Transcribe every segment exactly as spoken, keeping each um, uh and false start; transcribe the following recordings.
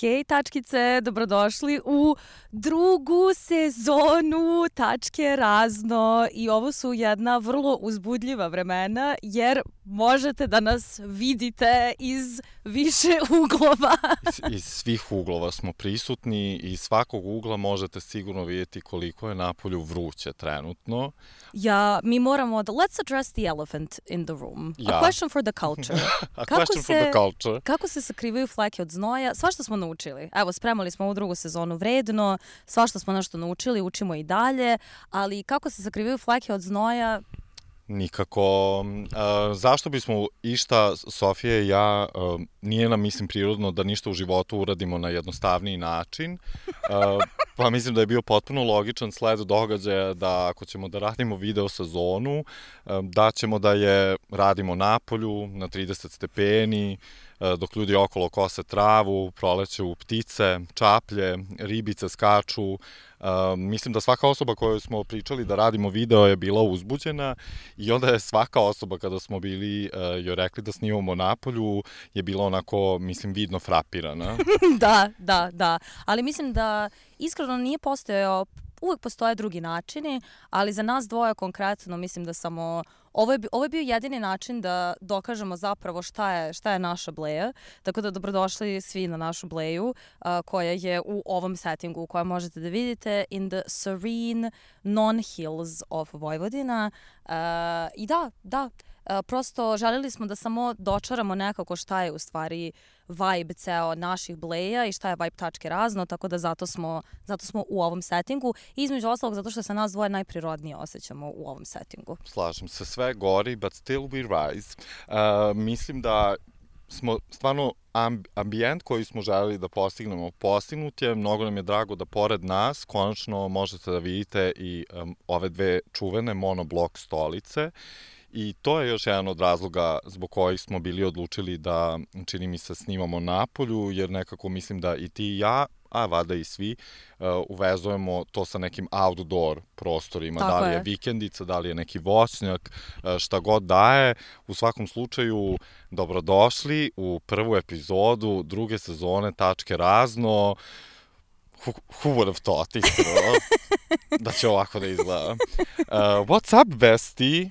Hej tačkice, dobrodošli u drugu sezonu Tačke razno i ovo su jedna vrlo uzbudljiva vremena jer možete da nas vidite iz više uglova. iz, iz svih uglova smo prisutni i iz svakog ugla možete sigurno vidjeti koliko je napolju vruće trenutno. Ja, mi moramo da, let's address the elephant in the room. Ja. A question for the culture. A Kako question se, for the culture. Kako se sakrivaju fleke od znoja? Svašta smo naučili. Evo, spremali smo ovu drugu sezonu vredno, svašta smo nešto naučili, učimo i dalje, ali kako se sakrivaju fleke od znoja? Nikako. Uh, zašto bismo išta, Sofija i ja, uh, nije nam, mislim, prirodno da ništa u životu uradimo na jednostavniji način. Uh, pa mislim da je bio potpuno logičan sled događaja da ako ćemo da radimo video sezonu, uh, da ćemo da je radimo napolju, na trideset stepeni, uh, dok ljudi okolo kose travu, proleću ptice, čaplje, ribice skaču. Uh, mislim da svaka osoba koju smo pričali da radimo video je bila uzbuđena i onda je svaka osoba kada smo bili uh, joj rekli da snimamo napolju je bila onako, mislim, vidno frapirana. Da, da, da. Ali mislim da iskreno nije postojao, uvek postoje drugi načini, ali za nas dvoje konkretno mislim da samo Ovo je, ovo je bio jedini način da dokažemo zapravo šta je, šta je naša bleja. Tako da dobrodošli svi na našu bleju uh, koja je u ovom settingu koja možete da vidite in the serene non-hills of Vojvodina. Uh, I da, da, uh, prosto želeli smo da samo dočaramo nekako šta je u stvari vibe ceo naših bleja i šta je vibe Tačke razno, tako da zato smo, zato smo u ovom settingu. I između ostalog zato što se nas dvoje najprirodnije osjećamo u ovom settingu. Slažem se, sve gori, but still we rise. Uh, mislim da smo stvarno amb ambijent koji smo želeli da postignemo postignut je. Mnogo nam je drago da pored nas konačno možete da vidite i um, ove dve čuvene monoblok stolice. I to je još jedan od razloga zbog kojih smo bili odlučili da, čini mi se, snimamo napolju, jer nekako mislim da i ti i ja, a vada i svi, uh, uvezujemo to sa nekim outdoor prostorima. Tako da li je, je vikendica, da li je neki voćnjak, uh, šta god daje. U svakom slučaju, dobrodošli u prvu epizodu druge sezone Tačke razno. Who, who would have thought, iskreno, da će ovako da izgleda. Uh, what's up, bestie?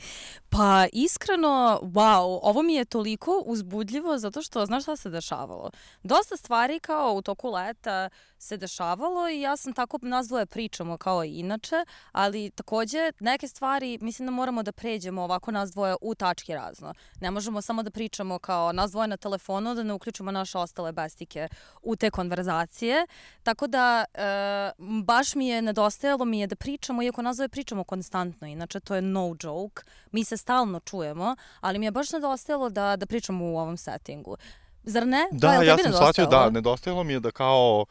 Pa iskreno, wow, ovo mi je toliko uzbudljivo zato što, znaš šta se dešavalo? Dosta stvari kao u toku leta se dešavalo i ja sam tako, nas dvoje pričamo kao i inače, ali takođe neke stvari mislim da moramo da pređemo ovako nas dvoje u Tački razno. Ne možemo samo da pričamo kao nas dvoje na telefonu, da ne uključimo naše ostale bestike u te konverzacije. Tako da e, baš mi je nedostajalo mi je da pričamo, iako nas dvoje pričamo konstantno, inače to je no joke. Mi se stalno čujemo, ali mi je baš nedostajalo da, da pričamo u ovom settingu. Zar ne? Da, ja sam shvatio, da, nedostajalo mi je da kao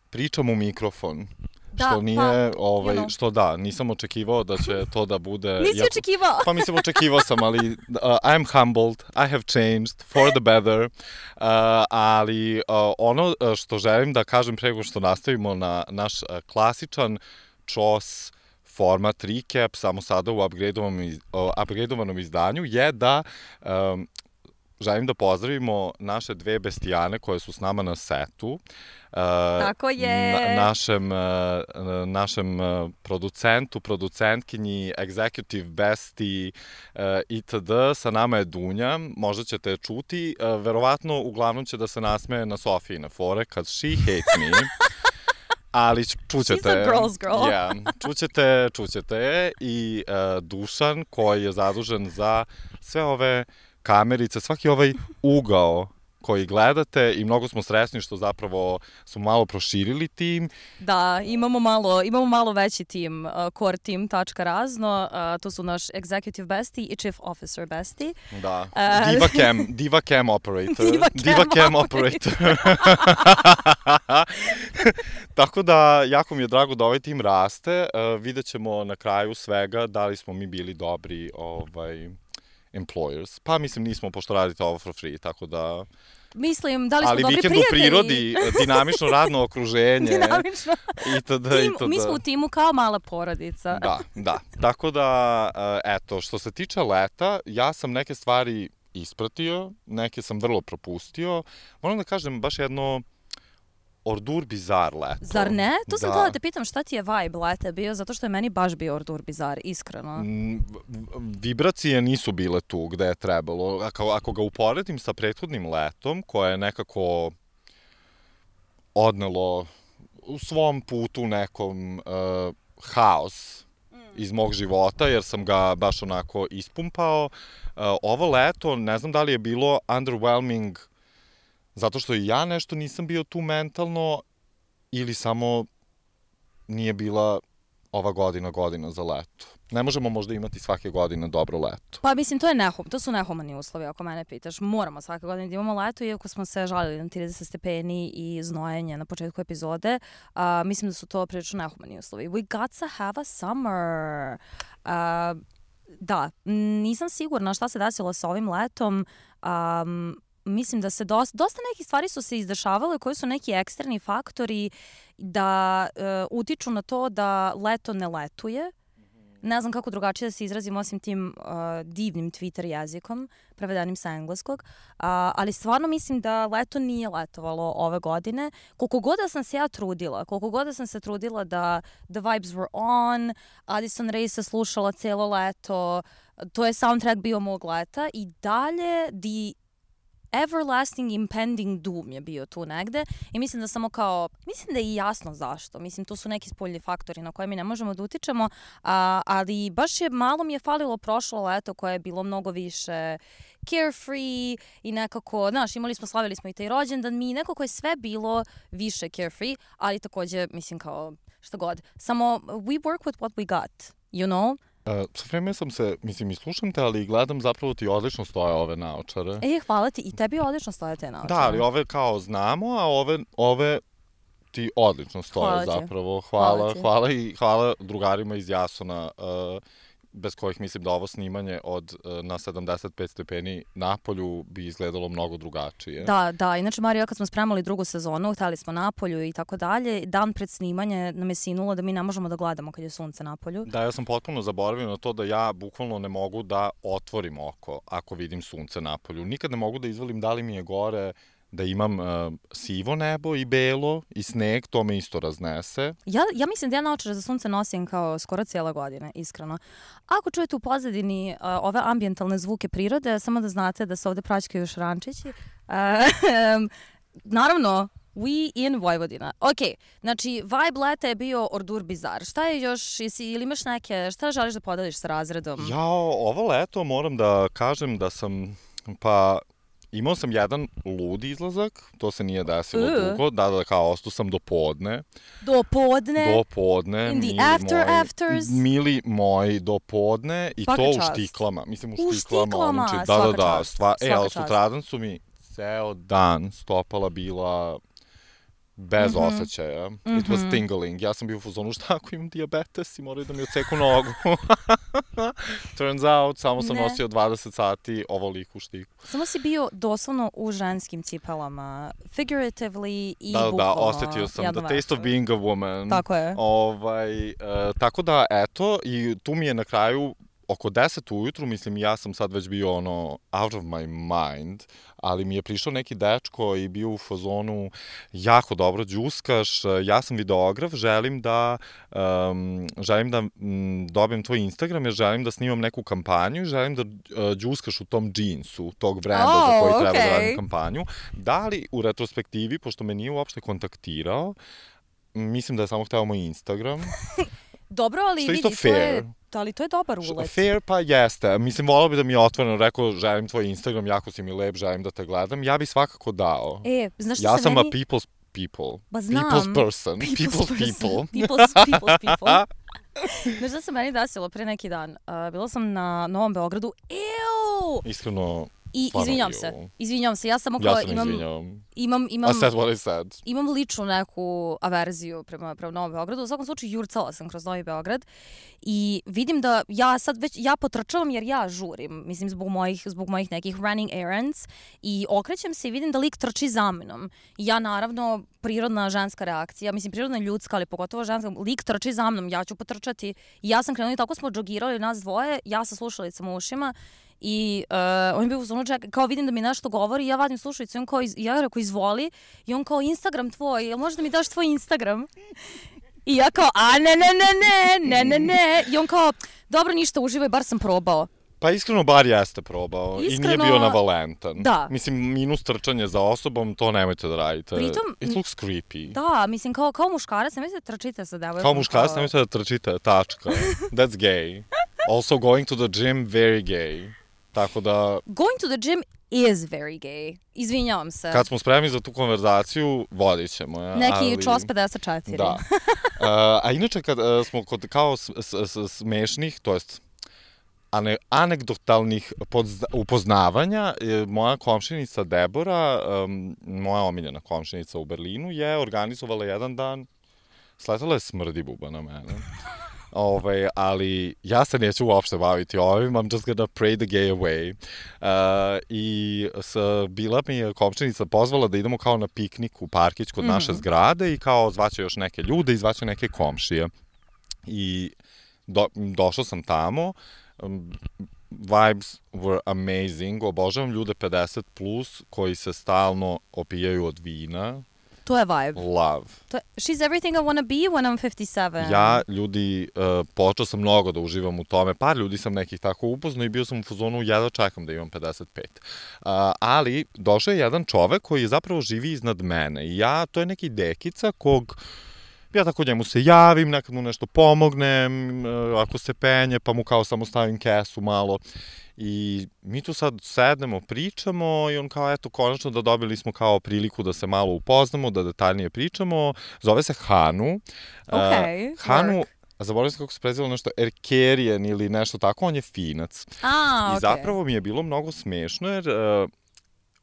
pričam u mikrofon. Da, što nije, pa, ovaj, you know. Što da, nisam očekivao da će to da bude... Nisi ja, očekivao? Pa mislim, očekivao sam, ali uh, I'm humbled, I have changed for the better, uh, ali uh, ono što želim da kažem pre nego što nastavimo na naš uh, klasičan čos format recap, samo sada u upgradeovanom, iz, uh, upgradeovanom izdanju, je da um, želim da pozdravimo naše dve bestijane koje su s nama na setu. Uh, Tako je. Na, našem, uh, našem uh, producentu, producentkinji, executive bestie uh, itd. Sa nama je Dunja, možda ćete je čuti. Uh, verovatno, uglavnom će da se nasmeje na Sofijine fore kad she hates me. Ali čućete... She's a girl's girl. Yeah, čućete, čućete. I uh, Dušan koji je zadužen za sve ove kamerice, svaki ovaj ugao koji gledate i mnogo smo srećni što zapravo smo malo proširili tim. Da, imamo malo, imamo malo veći tim, uh, core tim Tačka razno, uh, to su naš executive bestie i chief officer bestie. Da, Uh, diva cam, diva cam operator. Diva cam, diva cam operator. Tako da, jako mi je drago da ovaj tim raste. Uh, vidjet ćemo na kraju svega da li smo mi bili dobri ovaj, employers. Pa mislim nismo, pošto radite ovo for free, tako da... Mislim, da li smo ali dobri vikend u prijatelji? prirodi, dinamično radno okruženje. Dinamično. Itd, Tim, itd. mi smo u timu kao mala porodica. Da, da. Tako da, eto, što se tiče leta, ja sam neke stvari ispratio, neke sam vrlo propustio. Moram da kažem, baš jedno Ordur bizar leto. Zar ne? To sam da. htjela da te pitam šta ti je vibe leta bio, zato što je meni baš bio Ordur bizar, iskreno. Mm, vibracije nisu bile tu gde je trebalo. Ako, ako ga uporedim sa prethodnim letom, koje je nekako odnelo u svom putu nekom uh, haos iz mog života, jer sam ga baš onako ispumpao. Uh, ovo leto, ne znam da li je bilo underwhelming zato što i ja nešto nisam bio tu mentalno ili samo nije bila ova godina godina za leto. Ne možemo možda imati svake godine dobro leto. Pa mislim, to je nehum, to su nehumani uslovi, ako mene pitaš. Moramo svake godine da imamo leto, iako smo se žalili na trideset stepeni i znojenje na početku epizode. Uh, mislim da su to prilično nehumani uslovi. We got to have a summer. Uh, da, nisam sigurna šta se desilo sa ovim letom. Um, Mislim da se dosta, dosta nekih stvari su se izdešavale koji su neki eksterni faktori da uh, utiču na to da leto ne letuje. Ne znam kako drugačije da se izrazim osim tim uh, divnim Twitter jezikom, prevedenim sa engleskog, uh, ali stvarno mislim da leto nije letovalo ove godine. Koliko god da sam se ja trudila, koliko god da sam se trudila da the vibes were on, Addison Rae se slušala cijelo leto, to je soundtrack bio mog leta i dalje the everlasting impending doom je bio tu negde i mislim da samo kao, mislim da je i jasno zašto. Mislim, to su neki spoljni faktori na koje mi ne možemo da utičemo, a, ali baš je, malo mi je falilo prošlo leto koje je bilo mnogo više carefree i nekako, znaš, imali smo, slavili smo i taj rođendan, mi nekako je sve bilo više carefree, ali takođe, mislim kao, šta god. Samo, we work with what we got, you know? Uh, sa vreme sam se, mislim, i slušam te, ali gledam zapravo ti odlično stoje ove naočare. E, hvala ti. I tebi odlično stoje te naočare. Da, ali ove kao znamo, a ove, ove ti odlično stoje hvala zapravo. Hvala, hvala, hvala i hvala drugarima iz Jasona, uh, bez kojih mislim da ovo snimanje od uh, na sedamdeset pet stepeni napolju bi izgledalo mnogo drugačije. Da, da. Inače, Marija, kad smo spremali drugu sezonu, hteli smo napolju i tako dalje, dan pred snimanje nam je sinulo da mi ne možemo da gledamo kad je sunce napolju. Da, ja sam potpuno zaboravio na to da ja bukvalno ne mogu da otvorim oko ako vidim sunce napolju. Nikad ne mogu da izvalim da li mi je gore, da imam uh, sivo nebo i belo i sneg, to me isto raznese. Ja, ja mislim da ja naočare za sunce nosim kao skoro cijela godina, iskreno. Ako čujete u pozadini uh, ove ambijentalne zvuke prirode, samo da znate da se ovde praćkaju šrančići. Uh, um, naravno, we in Vojvodina. Ok, znači, vibe leta je bio Ordur bizar. Šta je još, jesi, ili imaš neke, šta želiš da podeliš sa razredom? Ja, ovo leto moram da kažem da sam, pa... Imao sam jedan ludi izlazak, to se nije desilo uh. dugo, da, da, kao ostao sam do podne. Do podne? Do podne. In the after moji, afters? Mili moji, do podne i svaka to čast. u štiklama. Mislim, u, u štiklama. štiklama, Znači, da, svaka da, da, čast. stva, e, ali čast. sutradan su mi ceo dan stopala bila bez mm-hmm. osjećaja. Mm-hmm. It was tingling. Ja sam bio u fazonu, šta ako imam dijabetes i moraju da mi odseku nogu. Turns out, samo sam ne. nosio dvadeset sati ovoliku štiku. Samo si bio doslovno u ženskim cipelama. Figuratively i da, bukvalno. Da, osetio sam the taste of being a woman. Tako je. Ovaj, uh, tako da, eto, i tu mi je na kraju oko deset ujutru, mislim, ja sam sad već bio ono out of my mind, ali mi je prišao neki dečko i bio u fazonu jako dobro đuskaš, ja sam videograf, želim da um, želim da um, dobijem tvoj Instagram, jer želim da snimam neku kampanju, želim da uh, đuskaš u tom džinsu, tog brenda oh, za koji okay. treba da radim kampanju. Da li u retrospektivi, pošto me nije uopšte kontaktirao, mislim da je samo hteo moj Instagram. Dobro, ali vidi, to je, ali to je dobar ulet. Fair, pa jeste. Mislim, volao bi da mi je otvoreno rekao, želim tvoj Instagram, jako si mi lep, želim da te gledam. Ja bi svakako dao. E, znaš što ja se sam meni... a people's people. Ba znam. People's person. People's, people's person. people. People's, people's people. Znaš da se meni desilo pre neki dan? Uh, bila sam na Novom Beogradu. Ew! Iskreno... I izvinjam se, izvinjam se, ja samo kao ja imam, izvinjam. imam, imam, I said what I said. Imam ličnu neku averziju prema, prema Novom Beogradu. U svakom slučaju jurcala sam kroz Novi Beograd i vidim da ja sad već, ja potrčavam jer ja žurim, mislim zbog mojih, zbog mojih nekih running errands i okrećem se i vidim da lik trči za mnom. I ja naravno, prirodna ženska reakcija, mislim prirodna ljudska, ali pogotovo ženska, lik trči za mnom, ja ću potrčati. I ja sam krenula i tako smo džogirali nas dvoje, ja sa slušalicama u ušima. I uh, on je bio u zonu, čekaj, kao vidim da mi nešto govori i ja vadim slušalicu i on kao, iz, ja rekao izvoli i on kao Instagram tvoj, jel možeš da mi daš tvoj Instagram? I ja kao, a ne, ne, ne, ne, ne, ne, ne. I on kao, dobro, ništa, uživaj, bar sam probao. Pa iskreno, bar jeste probao. Iskreno, i nije bio navalentan. Da. Mislim, minus trčanje za osobom, to nemojte da radite. Pritom, it looks creepy. Da, mislim, kao, kao muškarac, nemojte da trčite sa devojkom. Kao muškarac, nemojte da trčite, tačka. That's gay. Also, going to the gym, very gay. Tako da... Going to the gym is very gay. Izvinjavam se. Kad smo spremni za tu konverzaciju, vodit ćemo. Ja, neki ali... čos pedeset četiri. Da. Uh, a inače, kad uh, smo kod kao s, s, s, smešnih, to jest ane, anegdotalnih podzna, upoznavanja, je, moja komšinica Debora, um, moja omiljena komšinica u Berlinu, je organizovala jedan dan, sletala je smrdi buba na mene. Ove, ali ja se neću uopšte baviti ovim, I'm just gonna pray the gay away. Uh, I s, bila mi je komšinica pozvala da idemo kao na piknik u parkić kod mm-hmm. naše zgrade i kao zvaće još neke ljude i zvaće neke komšije. I do, došao sam tamo, um, vibes were amazing, obožavam ljude pedeset plus koji se stalno opijaju od vina. To je vibe. Love. To je, she's everything I wanna be when I'm fifty-seven. Ja, ljudi, uh, počeo sam mnogo da uživam u tome. Par ljudi sam nekih tako upoznao i bio sam u fazonu, jedva čekam da imam pedeset pet. Uh, ali, došao je jedan čovek koji zapravo živi iznad mene. I ja, to je neki dekica kog... Ja tako njemu se javim, nekad mu nešto pomognem, ako se penje, pa mu kao samo stavim kesu malo. I mi tu sad sednemo, pričamo i on kao, eto, konačno da dobili smo kao priliku da se malo upoznamo, da detaljnije pričamo. Zove se Hanu. Okay, uh, Hanu, work. zaboravim se kako se prezivalo nešto, Erkerijen ili nešto tako, on je Finac. A, I okay. zapravo mi je bilo mnogo smešno jer... Uh,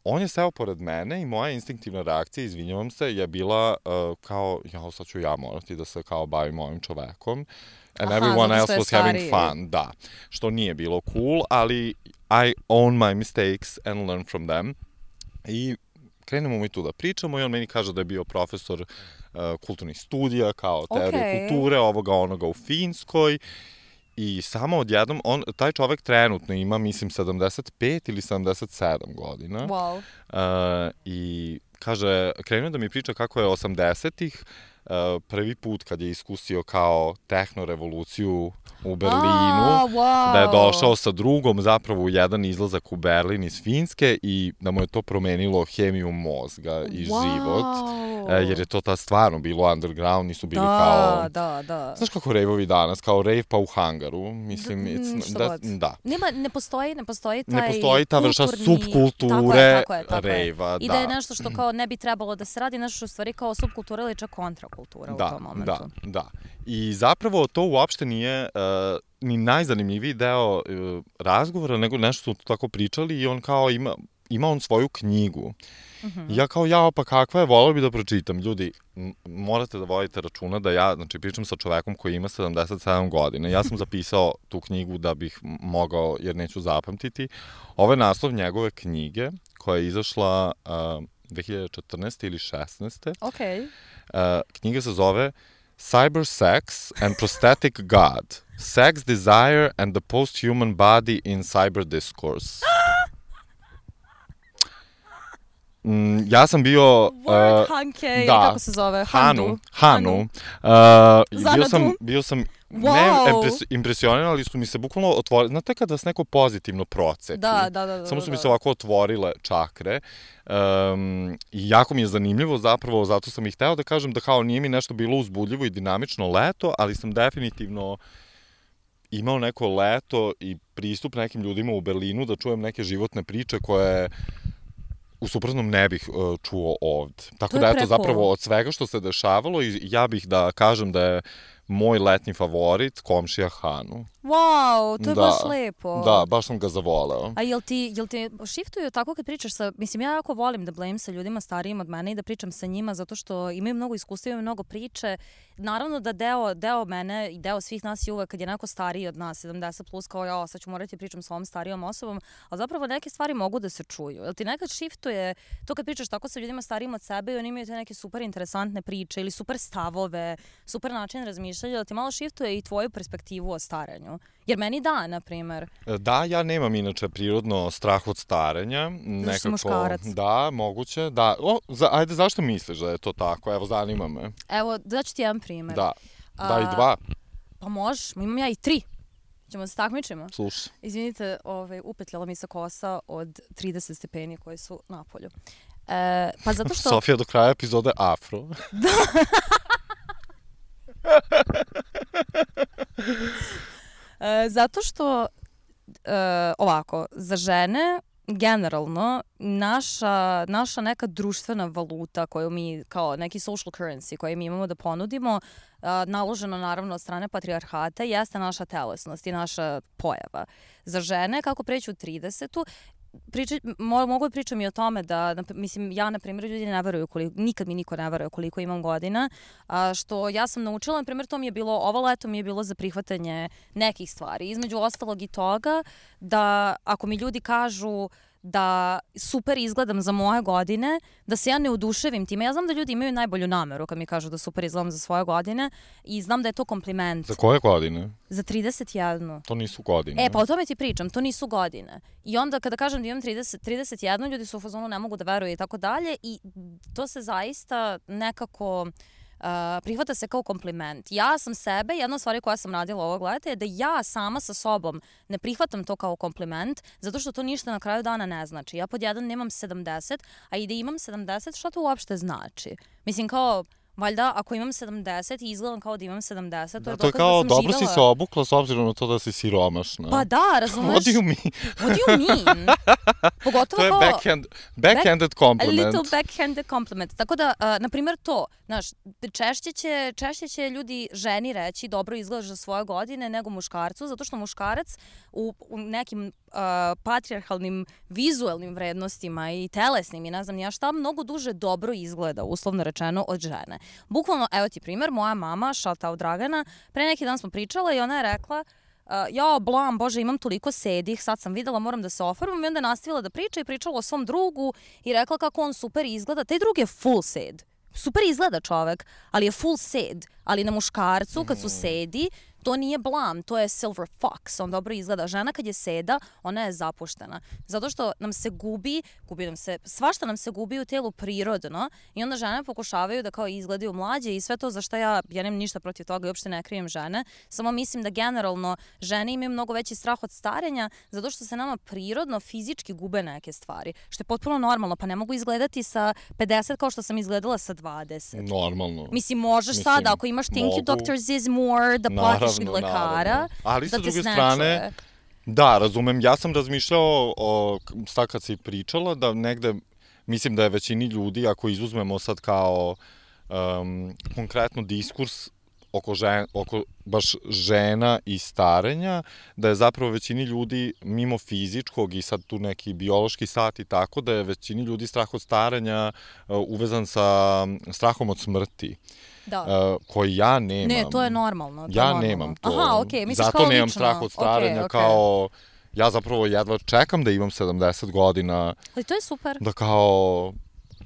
on je seo pored mene i moja instinktivna reakcija, izvinjavam se, je bila uh, kao, ja, sad ću ja morati da se kao bavim ovim čovekom. And Aha, everyone else was stariji. having fun, da. Što nije bilo cool, ali I own my mistakes and learn from them. I krenemo mi tu da pričamo i on meni kaže da je bio profesor uh, kulturnih studija, kao teorije okay. kulture, ovoga onoga u Finskoj. I samo odjednom, on, taj čovek trenutno ima, mislim, sedamdeset pet ili sedamdeset sedam godina. Wow. Uh, I kaže, krenuo da mi priča kako je osamdesetih uh, prvi put kad je iskusio kao tehnorevoluciju u Berlinu, ah, wow. da je došao sa drugom zapravo u jedan izlazak u Berlin iz Finske i da mu je to promenilo hemiju mozga i wow. život. Jer je to ta stvarno bilo underground, nisu bili da, kao... Da, da, Znaš kako rejvovi danas, kao rejv pa u hangaru, mislim, da, it's, da, da. Nema, ne postoji, ne postoji taj Ne postoji ta vrša kulturni... subkulture tako je, tako je, tako rejva, je. I da. da je nešto što kao ne bi trebalo da se radi, nešto što u stvari kao subkultura ili čak kontrakultura da, u tom momentu. Da, da. I zapravo to uopšte nije uh, ni najzanimljiviji deo uh, razgovora, nego nešto su tako pričali i on kao ima, ima on svoju knjigu. Mm-hmm. Ja kao, jao, pa kakva je, volao bi da pročitam. Ljudi, m- morate da vodite računa da ja, znači, pričam sa čovekom koji ima sedamdeset sedam godina. Ja sam zapisao tu knjigu da bih mogao, jer neću zapamtiti. Ovo je naslov njegove knjige, koja je izašla uh, dve hiljade četrnaeste ili šesnaeste. Okay. Uh, knjiga se zove Cyber Sex and Prosthetic God. Sex, Desire and the Post-Human Body in Cyber Discourse. Mm, ja sam bio... Word uh, Hanke, da, kako se zove? Hanu. Hanu. Uh, bio sam, bio sam wow. ne impres, impresioniran, ali su mi se bukvalno otvorili. Znate kad vas neko pozitivno procepi? Da, da, da. da Samo su da, mi da. se ovako otvorile čakre. Um, I jako mi je zanimljivo zapravo, zato sam i hteo da kažem da kao nije mi nešto bilo uzbudljivo i dinamično leto, ali sam definitivno imao neko leto i pristup nekim ljudima u Berlinu da čujem neke životne priče koje u suprotnom ne bih uh, čuo ovde. Tako da, eto, zapravo od svega što se dešavalo, i ja bih da kažem da je moj letnji favorit komšija Hanu. Wow, to je da, baš lepo. Da, baš sam ga zavoleo. A jel ti, jel ti shiftuju tako kad pričaš sa, mislim, ja jako volim da blame sa ljudima starijim od mene i da pričam sa njima zato što imaju mnogo iskustva, imaju mnogo priče. Naravno da deo, deo mene i deo svih nas je uvek kad je neko stariji od nas, sedamdeset plus, kao ja, sad ću morati pričam s ovom starijom osobom, ali zapravo neke stvari mogu da se čuju. Jel ti nekad shiftuje to kad pričaš tako sa ljudima starijim od sebe i oni imaju te neke super interesantne priče ili super stavove, super način razmišljanja razmišljanje, da ti malo shiftuje i tvoju perspektivu o staranju. Jer meni da, na primer. Da, ja nemam inače prirodno strah od starenja. Zašto si muškarac? Da, moguće. Da. O, za, ajde, zašto misliš da je to tako? Evo, zanima me. Evo, daću ti jedan primer. Da, da i dva. Pa možeš, imam ja i tri. Ćemo se takmičimo? Slušaj. Izvinite, ovaj, upetljala mi se kosa od trideset stepeni koji su napolju. E, pa zato što... Sofija do kraja epizode afro. Da. e, zato što, e, ovako, za žene, generalno, naša, naša neka društvena valuta koju mi, kao neki social currency koju mi imamo da ponudimo, a, naloženo naravno od strane patrijarhata, jeste naša telesnost i naša pojava. Za žene, kako preći u tridesetu, Priča, mo, mogu da pričam i o tome da, na, mislim, ja, na primjer, ljudi ne veruju koliko, nikad mi niko ne veruje koliko imam godina, a, što ja sam naučila, na primjer, to mi je bilo, ovo leto mi je bilo za prihvatanje nekih stvari. Između ostalog i toga da ako mi ljudi kažu da super izgledam za moje godine, da se ja ne oduševim time. Ja znam da ljudi imaju najbolju nameru kad mi kažu da super izgledam za svoje godine i znam da je to kompliment. Za koje godine? Za trideset jednu. To nisu godine. E, pa o tome ti pričam, to nisu godine. I onda kada kažem da imam trideset, trideset jednu, ljudi su u fazonu ne mogu da veruju i tako dalje i to se zaista nekako... Uh, prihvata se kao kompliment. Ja sam sebe, jedna od stvari koja sam radila ovog leta je da ja sama sa sobom ne prihvatam to kao kompliment, zato što to ništa na kraju dana ne znači. Ja pod jedan nemam sedamdeset, a i da imam sedamdeset, šta to uopšte znači? Mislim, kao, valjda, ako imam sedamdeset i izgledam kao da imam sedamdeset, to je da, to je dokaz kao, da sam dobro živela. Si se obukla s obzirom na to da si siromašna. Pa da, razumeš? What do you mean? What do you mean? Pogotovo to je kao... backhand, backhanded compliment. A little backhanded compliment. Tako da, uh, na primjer to, znaš, češće će, češće će ljudi ženi reći dobro izgledaš za svoje godine nego muškarcu, zato što muškarac u, u nekim uh, patrijarhalnim vizuelnim vrednostima i telesnim i ne znam ja šta, mnogo duže dobro izgleda, uslovno rečeno, od žene. Bukvalno, evo ti primjer, moja mama, shout out Dragana, pre neki dan smo pričala i ona je rekla Uh, ja, blam, bože, imam toliko sedih, sad sam videla, moram da se ofarmam i onda je nastavila da priča i pričala o svom drugu i rekla kako on super izgleda. Taj drug je full sed. Super izgleda čovek, ali je full sed. Ali na muškarcu, kad su sedi, to nije blam, to je silver fox, on dobro izgleda. Žena kad je seda, ona je zapuštena. Zato što nam se gubi, gubi nam se, svašta nam se gubi u telu prirodno i onda žene pokušavaju da kao izgledaju mlađe i sve to za što ja, ja nemam ništa protiv toga i uopšte ne krijem žene. Samo mislim da generalno žene imaju mnogo veći strah od starenja zato što se nama prirodno, fizički gube neke stvari. Što je potpuno normalno, pa ne mogu izgledati sa pedeset kao što sam izgledala sa dvadeset. Normalno. Mislim, možeš mislim, sada, ako imaš thank you doctor Ziz Moore, da platiš lekara, ali da sa druge strane, da, razumem, ja sam razmišljao o, sad kad si pričala, da negde, mislim da je većini ljudi, ako izuzmemo sad kao um, konkretno diskurs oko, žen, oko baš žena i starenja, da je zapravo većini ljudi mimo fizičkog i sad tu neki biološki sat i tako, da je većini ljudi strah od starenja uh, uvezan sa strahom od smrti. Da. Uh, koji ja nemam. Ne, to je normalno. To ja je normalno. nemam to. Aha, okej, okay. Misliš zato kao nemam lično. strah od starenja, okay, okay. kao... Ja zapravo jedva čekam da imam sedamdeset godina. Ali to je super. Da kao...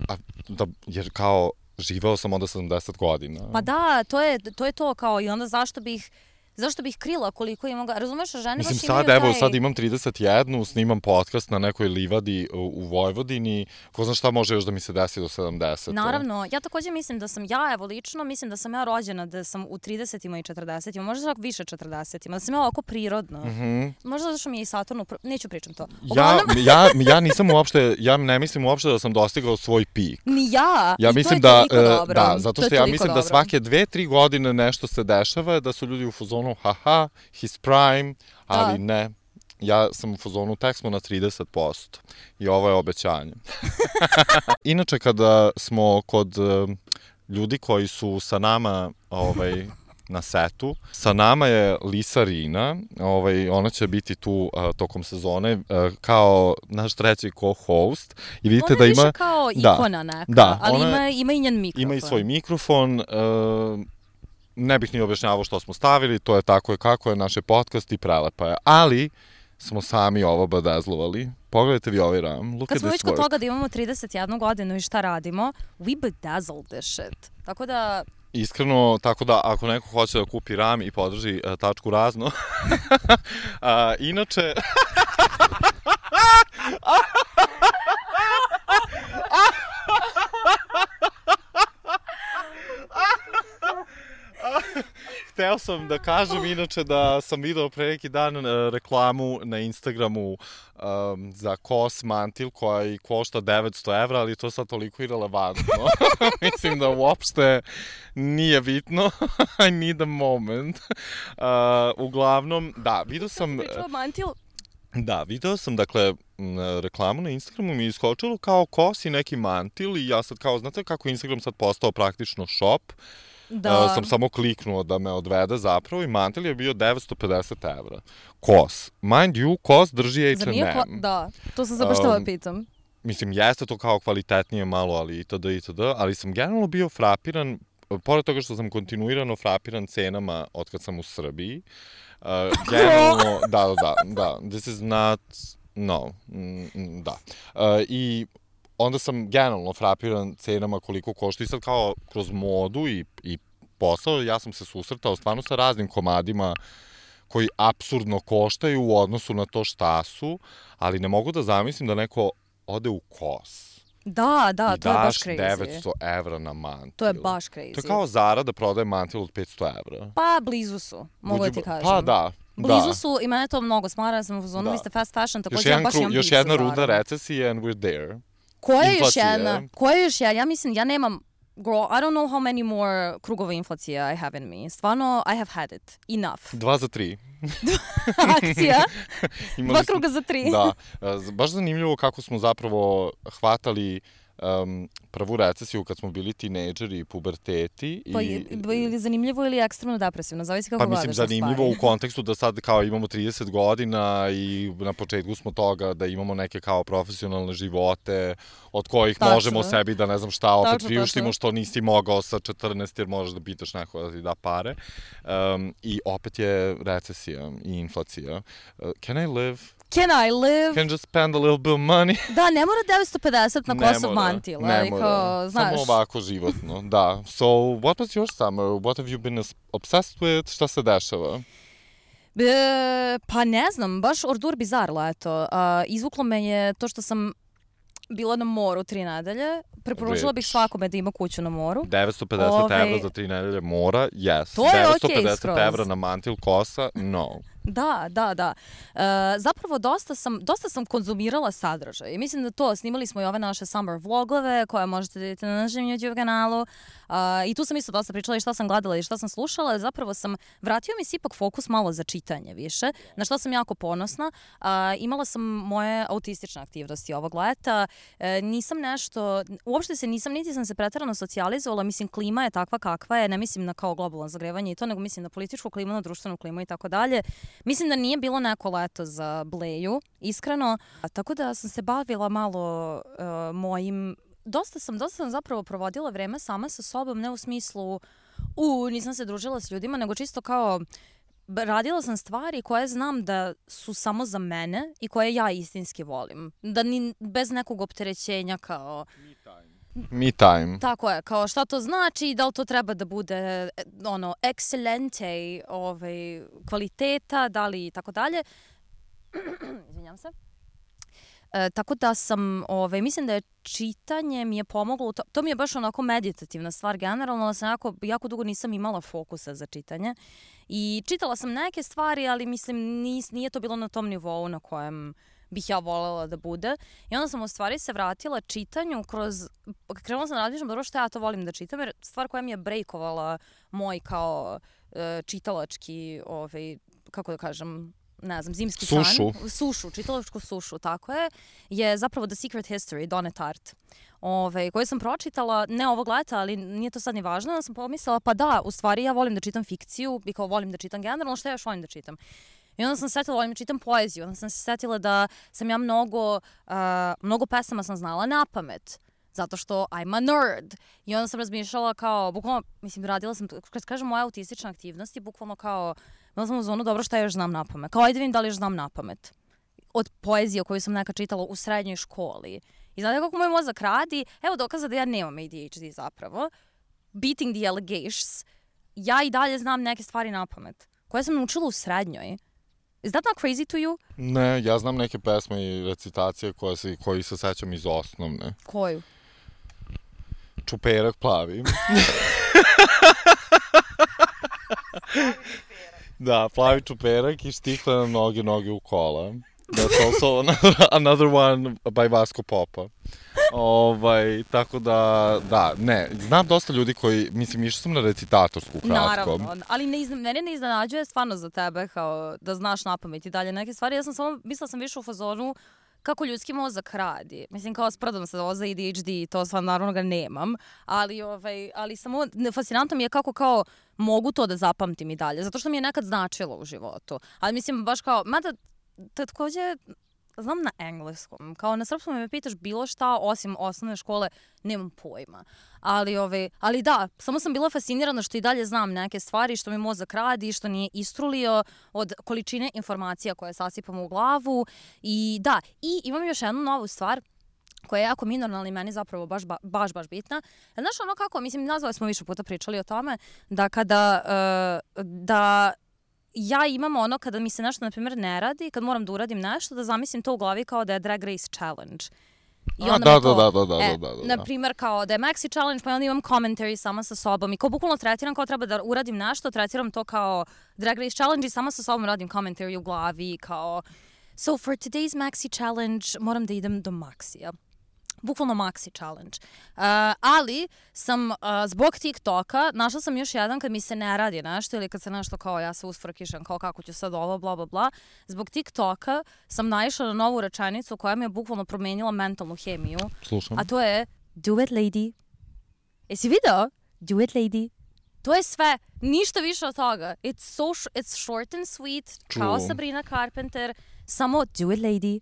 A, da, jer kao... Živeo sam onda sedamdeset godina. Pa da, to je, to je to kao i onda zašto bih... Zašto bih krila koliko imam ga... Razumeš, žene Mislim, baš sad, imaju taj... evo, sad imam trideset jednu, snimam podcast na nekoj livadi u, u Vojvodini. Ko zna šta može još da mi se desi do sedamdeset. Naravno, ja također mislim da sam ja, evo lično, mislim da sam ja rođena, da sam u tridesetima i četrdesetima, možda čak više četrdesetima, da sam ja ovako prirodno. Mm-hmm. Možda zato što mi je i Saturn, neću pričam to. Ja, ja, ja nisam uopšte, ja ne mislim uopšte da sam dostigao svoj pik. Ni ja, ja i mislim to je da, toliko dobro. Da, zato što ja mislim dobro. da svake dve, tri godine nešto se dešava, da su ljudi u fazonu, haha, his prime, ali da. Ne. Ja sam u fazonu, tek smo na trideset posto i ovo je obećanje. Inače, kada smo kod uh, ljudi koji su sa nama ovaj, na setu, sa nama je Lisa Rina, ovaj, ona će biti tu uh, tokom sezone uh, kao naš treći co-host. I vidite ona da je ima, više kao ikona neka, da, ali ona, ima, ima i njen mikrofon. Ima i svoj mikrofon, uh, ne bih ni objašnjavao što smo stavili, to je tako je kako je, naše podcast i prelepa je. Ali smo sami ovo badazlovali. Pogledajte vi ovaj ram. Look Kad smo već kod work. toga da imamo trideset jednu godinu i šta radimo, we bedazzled this shit. Tako da, Iskreno, tako da ako neko hoće da kupi RAM i podrži uh, tačku razno, uh, inače... Hteo sam da kažem inače da sam video pre neki dan uh, reklamu na Instagramu um, za Kos mantil koja i košta devetsto evra, ali to sad toliko irelevantno. Mislim da uopšte nije bitno. I need a moment. Uh, uglavnom, da, video sam... Pričao mantil? Da, video sam, dakle, reklamu na Instagramu mi je iskočilo kao Kos i neki mantil i ja sad kao, znate kako Instagram sad postao praktično shop? Da. Uh, sam samo kliknuo da me odvede zapravo i mantil je bio devetsto pedeset evra. Kos. Mind you, Kos drži H and M. Zar nije kla... Da, to sam se baš tebe pitam. Mislim, jeste to kao kvalitetnije malo, ali itd. itd. Ali sam generalno bio frapiran, pored toga što sam kontinuirano frapiran cenama od kad sam u Srbiji. Uh, generalno, da, da, da, da. This is not, no, mm, da. Uh, I... onda sam generalno frapiran cenama koliko košta i sad kao kroz modu i, i posao, ja sam se susretao stvarno sa raznim komadima koji apsurdno koštaju u odnosu na to šta su, ali ne mogu da zamislim da neko ode u Kos. Da, da, to je baš crazy. I daš devetsto evra na mantil. To je baš crazy. To je kao Zara da prodaje mantil od petsto evra. Pa, blizu su, mogu da ti kažem. Pa, da. Blizu da. su i mene to mnogo smara, sam u zonu, vi ste fast fashion, takođe ja baš imam još jedna runda recesije and we're there. Koja je još jedna? Koja je još jedna? Ja mislim, ja nemam, girl, I don't know how many more krugova inflacije I have in me. Stvarno, I have had it. Enough. Dva za tri. Akcija. Dva kruga za tri. Da. Baš zanimljivo kako smo zapravo hvatali um, prvu recesiju kad smo bili tinejdžeri i puberteti. Pa i, ili zanimljivo ili ekstremno depresivno, zavisi kako pa gledaš. Pa mislim zanimljivo u kontekstu da sad kao imamo trideset godina i na početku smo toga da imamo neke kao profesionalne živote od kojih tačno. Možemo sebi da ne znam šta opet tačno, priuštimo tačno. Što nisi mogao sa četrnaest jer možeš da pitaš neko da ti da pare. Um, I opet je recesija i inflacija. Uh, can I live? Can I live? Can just spend a little bit of money? Da, ne mora devetsto pedeset na Kosov mantil. Ne mora, kao, znaš. Samo ovako životno, da. So, what was your summer? What have you been obsessed with? Šta se dešava? E, pa ne znam, baš ordur bizar leto. Uh, izvuklo me je to što sam bila na moru tri nedelje. Preporučila bih svakome da ima kuću na moru. devetsto pedeset Ove... evra za tri nedelje mora, yes. To je devetsto pedeset okej skroz. evra na mantil Kosa, no. Da, da, da. E, zapravo dosta sam, dosta sam konzumirala sadržaj. I mislim da to, snimali smo i ove naše summer vlogove koje možete vidjeti na našem YouTube kanalu. E, I tu sam isto dosta pričala i šta sam gledala i šta sam slušala. Zapravo sam, vratio mi se ipak fokus malo za čitanje više, na što sam jako ponosna. E, imala sam moje autistične aktivnosti ovog leta. E, nisam nešto, uopšte se nisam, niti sam se preterano socijalizovala. Mislim, klima je takva kakva je. Ne mislim na kao globalno zagrevanje i to, nego mislim na političku klimu, na društvenu klimu i tako dalje. Mislim da nije bilo neko leto za Bleju, iskreno. A, tako da sam se bavila malo uh, mojim... Dosta sam, dosta sam zapravo provodila vreme sama sa sobom, ne u smislu u, nisam se družila s ljudima, nego čisto kao radila sam stvari koje znam da su samo za mene i koje ja istinski volim. Da ni bez nekog opterećenja kao... Me time. Tako je, kao šta to znači, da li to treba da bude ono, excelente ovaj, kvaliteta, da li i tako dalje. Izvinjam se. E, tako da sam, ovaj, mislim da je čitanje mi je pomoglo, to, to mi je baš onako meditativna stvar generalno, da sam jako, jako dugo nisam imala fokusa za čitanje i čitala sam neke stvari, ali mislim nis, nije to bilo na tom nivou na kojem bih ja voljela da bude. I onda sam u stvari se vratila čitanju kroz, krenula sam da razmišljam dobro što ja to volim da čitam, jer stvar koja mi je brejkovala moj kao uh, čitalački, ovaj, kako da kažem, ne znam, zimski sušu. san. Sušu, čitalačku sušu, tako je, je zapravo The Secret History, Donna Tartt, ove, koju sam pročitala, ne ovog leta, ali nije to sad ni važno, da sam pomislila, pa da, u stvari ja volim da čitam fikciju i kao volim da čitam generalno, što ja još volim da čitam. I onda sam se setila, volim da čitam poeziju, onda sam se setila da sam ja mnogo, uh, mnogo pesama sam znala na pamet, zato što I'm a nerd. I onda sam razmišljala kao, bukvalno, mislim, radila sam, kad kažem moja autistična aktivnost, je bukvalno kao, bila sam u zonu, dobro, šta još znam na pamet. Kao, ajde vidim da li još znam na pamet. Od poezije koju sam nekad čitala u srednjoj školi. I znate kako moj mozak radi? Evo dokaza da ja nemam A D H D zapravo. beating the allegations, ja i dalje znam neke stvari na pamet, koje sam naučila u srednjoj. Is that not crazy to you? Ne, ja znam neke pesme i recitacije koje se, koji se sećam iz osnovne. Koju? Čuperak plavi. Da, plavi čuperak i štikle na noge, noge u kola. That's also another, another one by Vasco Popa. Ovaj, tako da, da, ne, znam dosta ljudi koji, mislim, išao sam na recitatorsku kratko. Naravno, ali ne izna, mene ne iznenađuje stvarno za tebe, kao da znaš napamet i dalje neke stvari. Ja sam samo, mislila sam više u fazonu kako ljudski mozak radi. Mislim, kao sprdam se ovo za A D H D, to stvarno naravno ga nemam, ali, ovaj, ali samo fascinantno mi je kako kao mogu to da zapamtim i dalje, zato što mi je nekad značilo u životu. Ali mislim, baš kao, mada takođe, znam na engleskom, kao na srpskom me pitaš bilo šta osim osnovne škole, nemam pojma. Ali, ove, ali da, samo sam bila fascinirana što i dalje znam neke stvari, što mi mozak radi, što nije istrulio od količine informacija koje sasipamo u glavu. I da, i imam još jednu novu stvar koja je jako minorna, ali meni zapravo baš, baš, baš bitna. Znaš ono kako, mislim, nazvali smo više puta pričali o tome, da kada, uh, da ja imam ono kada mi se nešto, na primjer, ne radi, kad moram da uradim nešto, da zamislim to u glavi kao da je Drag Race Challenge. I onda A, da, to, da, da, da, e, da, da, da. Na primjer, kao da je Maxi Challenge, pa onda imam commentary sama sa sobom i kao bukvalno tretiram kao treba da uradim nešto, tretiram to kao Drag Race Challenge i sama sa sobom radim commentary u glavi kao so for today's Maxi Challenge moram da idem do Maxija. Bukvalno Maxi Challenge. Uh, ali sam uh, zbog TikToka našla sam još jedan kad mi se ne radi nešto ili kad se nešto kao ja se usfrkišem kao kako ću sad ovo bla bla bla. Zbog TikToka sam naišla na novu rečenicu koja mi je bukvalno promenila mentalnu hemiju. Slušam. A to je do it lady. Jesi video? Do it lady. To je sve. Ništa više od toga. It's, so sh- it's short and sweet. True. Kao Sabrina Carpenter. Samo do it lady.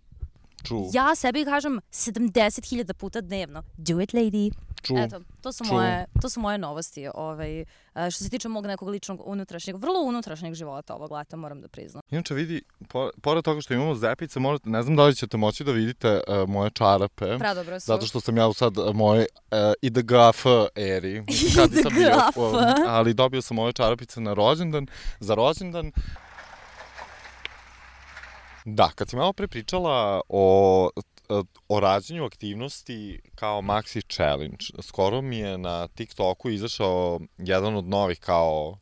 True. Ja sebi kažem sedamdeset hiljada puta dnevno. Do it, lady. True. Eto, to su, True. moje, to su moje novosti ovaj, što se tiče mog nekog ličnog unutrašnjeg, vrlo unutrašnjeg života ovog leta, moram da priznam. Inače vidi, po, pored toga što imamo zepice, možete, ne znam da li ćete moći da vidite uh, moje čarape. Predobro su. Zato što sam ja u sad uh, moje uh, I D G F eri. I D G F. Uh, ali dobio sam ove čarapice na rođendan, za rođendan. Da, kad si malo pre pričala o, o rađenju aktivnosti kao Maxi Challenge, skoro mi je na TikToku izašao jedan od novih kao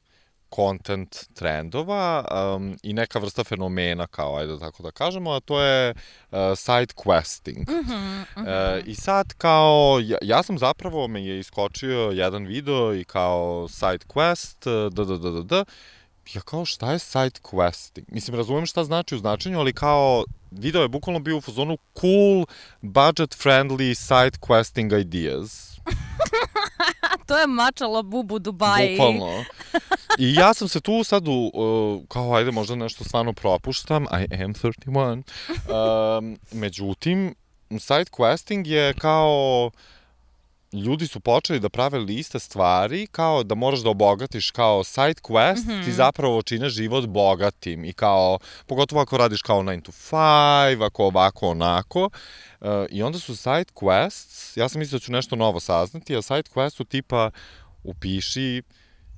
content trendova um, i neka vrsta fenomena, kao, ajde tako da kažemo, a to je uh, side questing. Mm-hmm, mm-hmm. Uh, I sad kao, ja, ja sam zapravo, me je iskočio jedan video i kao side quest, da, da, da, da, da, ja kao, šta je side questing? Mislim, razumijem šta znači u značenju, ali kao, video je bukvalno bio u fazonu cool, budget-friendly side questing ideas. To je mačalo bubu Dubaji. Bukvalno. I ja sam se tu sad, u, uh, kao, ajde, možda nešto stvarno propuštam, I am thirty one. Um, međutim, side questing je kao, ljudi su počeli da prave liste stvari kao da moraš da obogatiš kao side quest, mm-hmm. ti zapravo čine život bogatim i kao, pogotovo ako radiš kao nine to five, ako ovako, onako. Uh, I onda su side quests, ja sam mislio da ću nešto novo saznati, a side quest su tipa upiši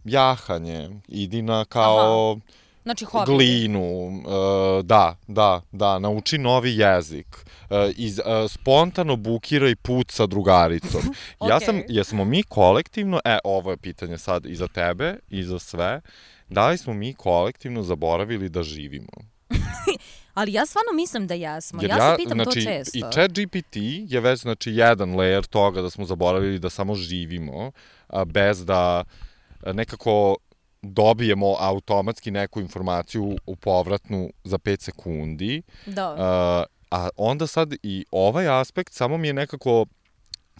jahanje, idi na kao... Aha. Znači, hobi. Glinu, uh, da, da, da, nauči novi jezik, uh, iz, uh, spontano bukiraj put sa drugaricom. Okay. Ja sam, jesmo mi kolektivno, e, ovo je pitanje sad i za tebe i za sve, da li smo mi kolektivno zaboravili da živimo? Ali ja stvarno mislim da jesmo, Jer ja, ja se pitam znači, to često. I ChatGPT je već, znači, jedan layer toga da smo zaboravili da samo živimo, a, bez da nekako dobijemo automatski neku informaciju u povratnu za pet sekundi. Da. Uh, a onda sad i ovaj aspekt samo mi je nekako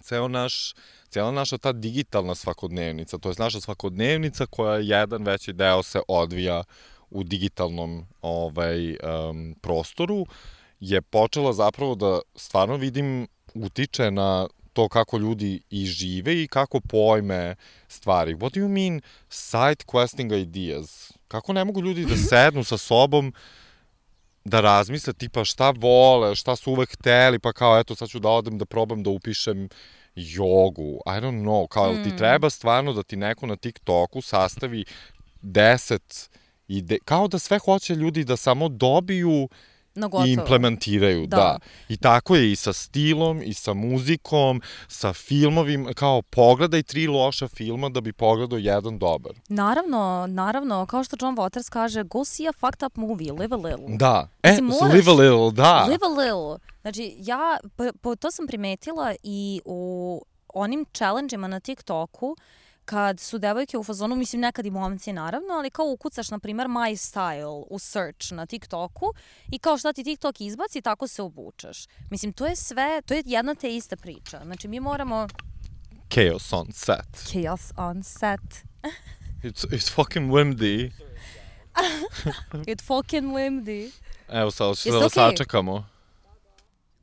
ceo naš, cijela naša ta digitalna svakodnevnica, to je naša svakodnevnica koja jedan veći deo se odvija u digitalnom ovaj, um, prostoru, je počela zapravo da stvarno vidim utiče na to kako ljudi i žive i kako pojme stvari. What do you mean side questing ideas? Kako ne mogu ljudi da sednu sa sobom da razmisle tipa šta vole, šta su uvek hteli, pa kao eto sad ću da odem da probam da upišem jogu, I don't know, kao mm. ti treba stvarno da ti neko na TikToku sastavi deset ide, kao da sve hoće ljudi da samo dobiju i implementiraju, da. da. I tako je i sa stilom, i sa muzikom, sa filmovim, kao pogledaj tri loša filma da bi pogledao jedan dobar. Naravno, naravno, kao što John Waters kaže, go see a fucked up movie, live a little. Da, e, Mislim, moraš, live a little, da. Live a little. Znači, ja, po, po, to sam primetila i u onim challenge-ima na TikToku, kad su devojke u fazonu, mislim nekad i momci naravno, ali kao ukucaš, na primer, my style u search na TikToku i kao šta ti TikTok izbaci, tako se obučeš. Mislim, to je sve, to je jedna te ista priča. Znači, mi moramo... Chaos on set. Chaos on set. It's, it's fucking windy. It's fucking windy. Evo sad, što da sačekamo.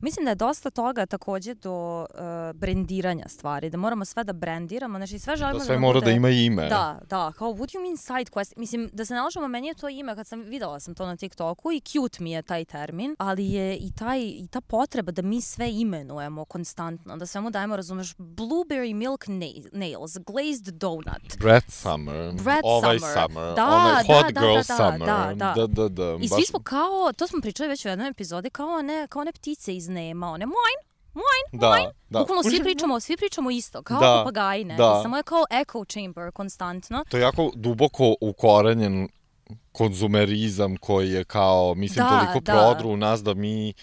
Mislim da je dosta toga takođe do uh, brendiranja stvari, da moramo sve da brendiramo, znači sve želimo da, da sve da mora bude... da ima ime. Da, da, kao what you mean side quest, mislim da se ne lažemo, meni je to ime, kad sam videla sam to na TikToku i cute mi je taj termin, ali je i, taj, i ta potreba da mi sve imenujemo konstantno, da svemu dajemo, razumeš, blueberry milk nails, glazed donut. Bread summer, Bread ovaj summer, summer, da, onaj da, hot da, girl da, summer. Da, da, da, da, da. I svi smo kao, to smo pričali već u jednoj epizodi, kao one, kao one ptice iz Nema, one moin, Moin, da, moin. Da. Bukvalno svi pričamo, svi pričamo isto, kao da, papagaji, ne? Da. Samo je kao echo chamber konstantno. To je jako duboko ukorenjen konzumerizam koji je kao, mislim, da, toliko da. prodru u nas da mi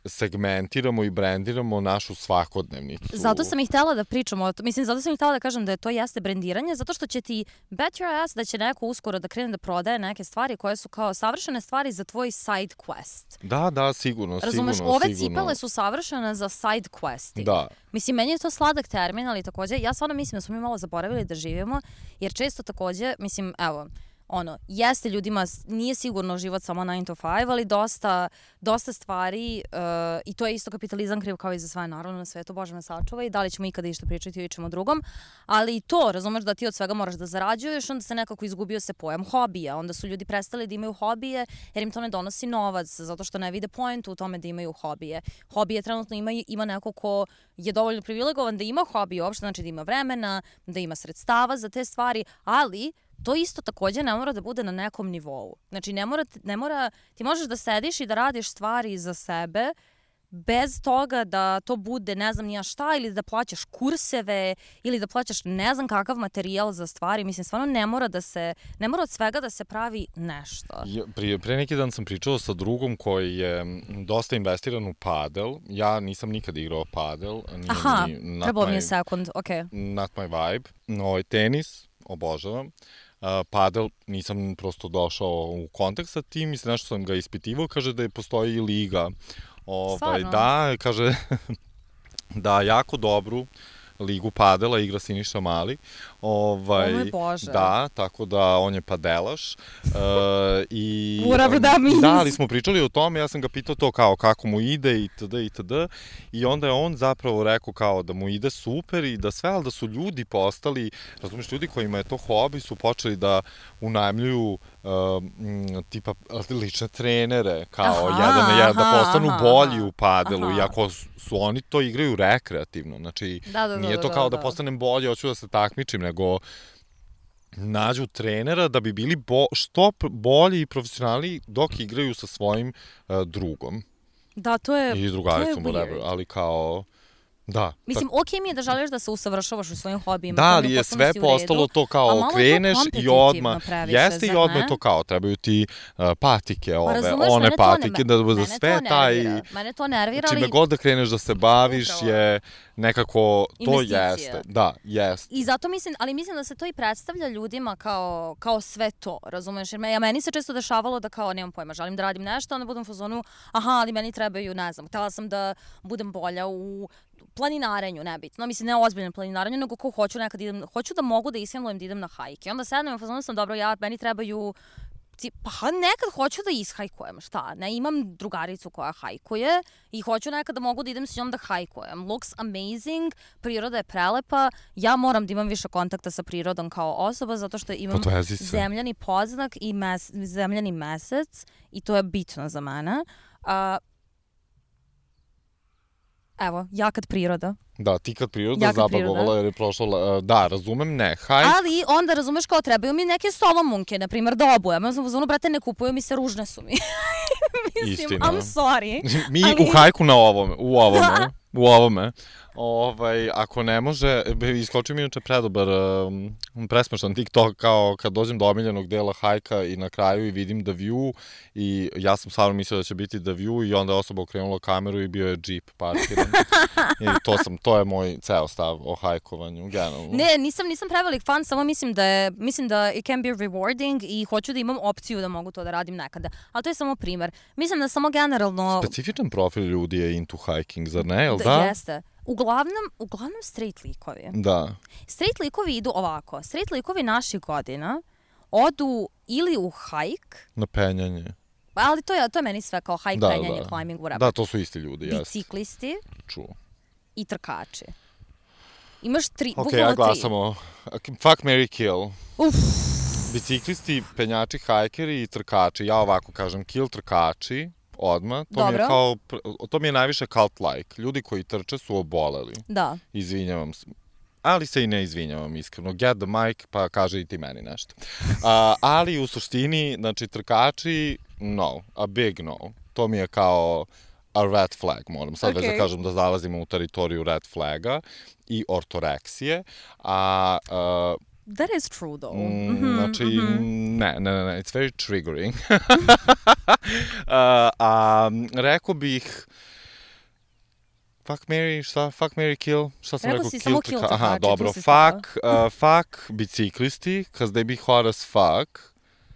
segmentiramo i brendiramo našu svakodnevnicu. Zato sam i htjela da pričamo, mislim, zato sam i htjela da kažem da je to jeste brendiranje, zato što će ti bet your ass da će neko uskoro da krene da prodaje neke stvari koje su kao savršene stvari za tvoj side quest. Da, da, sigurno, Razumeš, sigurno. ove sigurno. cipele su savršene za side questi. Da. Mislim, meni je to sladak termin, ali takođe, ja stvarno mislim da smo mi malo zaboravili da živimo, jer često takođe, mislim, evo, ono, jeste ljudima, nije sigurno život samo nine to five, ali dosta, dosta stvari uh, i to je isto kapitalizam kriv kao i za sve, naravno, na svetu, Bože me sačuva i da li ćemo ikada išta pričati o ičemu drugom, ali i to, razumeš da ti od svega moraš da zarađuješ, onda se nekako izgubio se pojam hobija, onda su ljudi prestali da imaju hobije jer im to ne donosi novac, zato što ne vide poentu u tome da imaju hobije. Hobije trenutno ima, ima neko ko je dovoljno privilegovan da ima hobije uopšte, znači da ima vremena, da ima sredstava za te stvari, ali to isto takođe ne mora da bude na nekom nivou. Znači, ne mora, ne mora, ti možeš da sediš i da radiš stvari za sebe bez toga da to bude ne znam nija šta, ili da plaćaš kurseve, ili da plaćaš ne znam kakav materijal za stvari. Mislim, stvarno ne mora da se, ne mora od svega da se pravi nešto. Ja, prije, pre neki dan sam pričao sa drugom koji je dosta investiran u padel. Ja nisam nikad igrao padel. Nije Aha, ni, trebalo mi je sekund, okej. Okay. Not my vibe. No, tenis, obožavam. Uh, padel, nisam prosto došao u kontakt sa tim, mislim, nešto sam ga ispitivao, kaže da je postoji i liga. Ovaj, da, kaže da jako dobru ligu padela igra Siniša Mali. Ovaj, o moj Bože. Da, tako da on je padelaš. Uh, i, Whatever that means. Da, ali smo pričali o tome, ja sam ga pitao to kao kako mu ide itd. itd. I onda je on zapravo rekao kao da mu ide super i da sve, ali da su ljudi postali, razumiješ, ljudi kojima je to hobi su počeli da unajmljuju uh, tipa lične trenere, kao aha, jedan na jedan, da postanu aha, bolji u padelu, aha. Iako su oni to igraju rekreativno, znači da, da, nije da, to kao da, da postanem bolji, hoću da se takmičim, nego nađu trenera da bi bili bo, što bolji i profesionalni dok igraju sa svojim uh, drugom. Da, to je ili drugaricom, whatever, ali kao da. Mislim, okej mi je da želiš da se usavršavaš u svojim hobijima. Da, ali je sve postalo to kao kreneš i odmah, jeste i odmah to kao, trebaju ti uh, patike, ove, razumeš, one patike, ne, da bude sve taj... Mene to nervira, ali... Čime god da kreneš da se baviš upravo. Je nekako, to jeste. Da, jeste. I zato mislim, ali mislim da se to i predstavlja ljudima kao, kao sve to, razumeš? Jer me, ja, meni se često dešavalo da kao, nemam pojma, želim da radim nešto, onda budem u fazonu, aha, ali meni trebaju, ne znam, htjela sam da budem bolja u planinarenju, nebitno. Mislim, ne ozbiljno planinarenju, nego ko hoću nekad idem, hoću da mogu da ishendlujem da idem na hajke. Onda sednem u fazonu sam, dobro, ja, meni trebaju, pa nekad hoću da ishajkujem, šta? Ne, imam drugaricu koja hajkuje i hoću nekad da mogu da idem s njom da hajkujem. Looks amazing, priroda je prelepa, ja moram da imam više kontakta sa prirodom kao osoba, zato što imam zemljani podznak i mes, zemljani mesec i to je bitno za mene. Uh, Evo, ja kad priroda. Da, ti kad priroda Ja kad zabagovala priroda. jer je prošlo, uh, da, razumem, ne, hajk. Ali onda razumeš kao trebaju mi neke solomunke, na primjer, da obujem. Ja sam u zonu, brate, ne kupuju mi se, ružne su mi. Mislim, Istina. I'm sorry. Mi ali... u hajku na ovome, u ovome, u ovome. Ovaj, ako ne može, iskoči mi inače predobar, um, presmešan TikTok kao kad dođem do omiljenog dela hajka i na kraju i vidim The View i ja sam stvarno mislio da će biti The View i onda je osoba okrenula kameru i bio je džip parkiran. I to sam, to je moj ceo stav o hajkovanju, generalno. Ne, nisam, nisam prevelik fan, samo mislim da je, mislim da it can be rewarding i hoću da imam opciju da mogu to da radim nekada. Ali to je samo primer. Mislim da samo generalno... Specifičan profil ljudi je into hiking, zar ne, jel da? Da, jeste. Uglavnom, uglavnom straight likovi. Da. Straight likovi idu ovako. Straight likovi naših godina odu ili u hajk. Na penjanje. Ali to je, to je meni sve kao hajk, da, penjanje, da. climbing, whatever. Da, to su isti ljudi, jeste. Biciklisti. Čuo. I trkači. Imaš tri, okay, bukvalno ja glasamo. Tri. Fuck, marry, kill. Uf. Biciklisti, penjači, hajkeri i trkači. Ja ovako kažem, kill trkači. Odmah, to Dobro. mi je kao, to mi je najviše cult-like. Ljudi koji trče su oboleli. Da. Izvinjavam se. Ali se i ne izvinjavam, iskreno. Get the mic, pa kaže i ti meni nešto. Uh, ali u suštini, znači, trkači, no. A big no. To mi je kao a red flag, moram sad okay. već da kažem da zalazimo u teritoriju red flaga i ortoreksije. A... Uh, That is true, though. Mm, mm-hmm, znači, mm-hmm. ne, ne, ne, ne, it's very triggering. uh, a rekao bih, fuck, marry, šta? Fuck, marry, kill? Šta sam rekao? Rekao si samo kill trkači. Aha, dobro. Fuck, uh, fuck biciklisti, cause they be hot as fuck.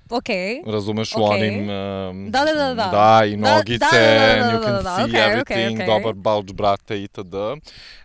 Okay. Razumeš okay. u onim... Um, da, da, da, da. Da, i nogice, da, da, da, da, and you can da, da, see okay, everything, okay, okay. dobar bulge, brate, itd.